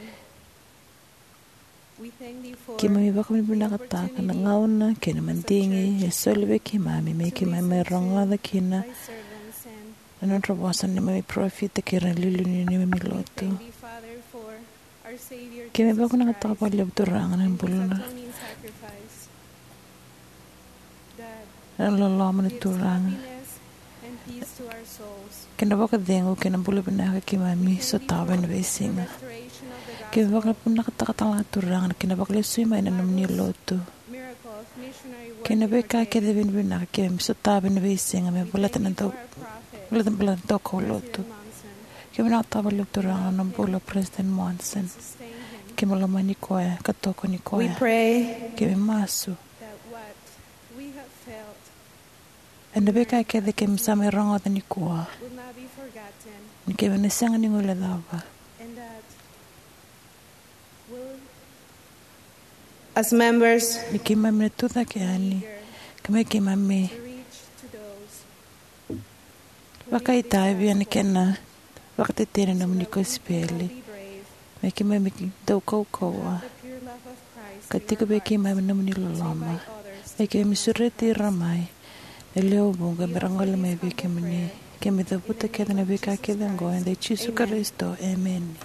We thank thee for keimami vakavinavinakataka na gauna kei na madigi e soli vei keimami me keimami mai rogoca kina thy servants and na nodra vosa na neimami parofita kei ira na iliuliu ni neimami lotu. Thank thee, Father, for our Savior Keimami Jesus vakavinavinakataka Christ, vakalevu Turaga na his bula na atoning sacrifice, that na loloma na gives Turaga happiness and peace to our souls. Kei na vakacegu kei na bula vinaka keimami sotava ena veisiga. Restoration of the gospel, vakavinavinakataka tale ga Turaga kei na vakalesui mai na nomuni lotu. Miracles, missionary work kei na veika kece vinavinaka keimami sotava ena veisiga me baleta na dau, baleta na bula na daukaulotu. Keimami vakavinavinakataka vakalevu Turaga na bula o President Monson. Keimami lomani koya ka tokoni koya. We pray, keimami masu that what we have felt ena veika kece keimami sa mai rogoca nikua, will not be forgotten, ni keimami na sega ni guilecava. And that we'll, as members, ni keimami na tucake yani, ka me keimami to reach to those vakaitavi ena kena vakatetei na nomuni kosipeli. Me keimami dau kaukauwa ka tiko vei keimami na nomuni loloma. Me keimami sureti ira mai na lewe vuqa me ra gole mai vei kemuni. Keimami cavuta kece na veika kece oqo ena yaca i Jisu Karisito, emeni.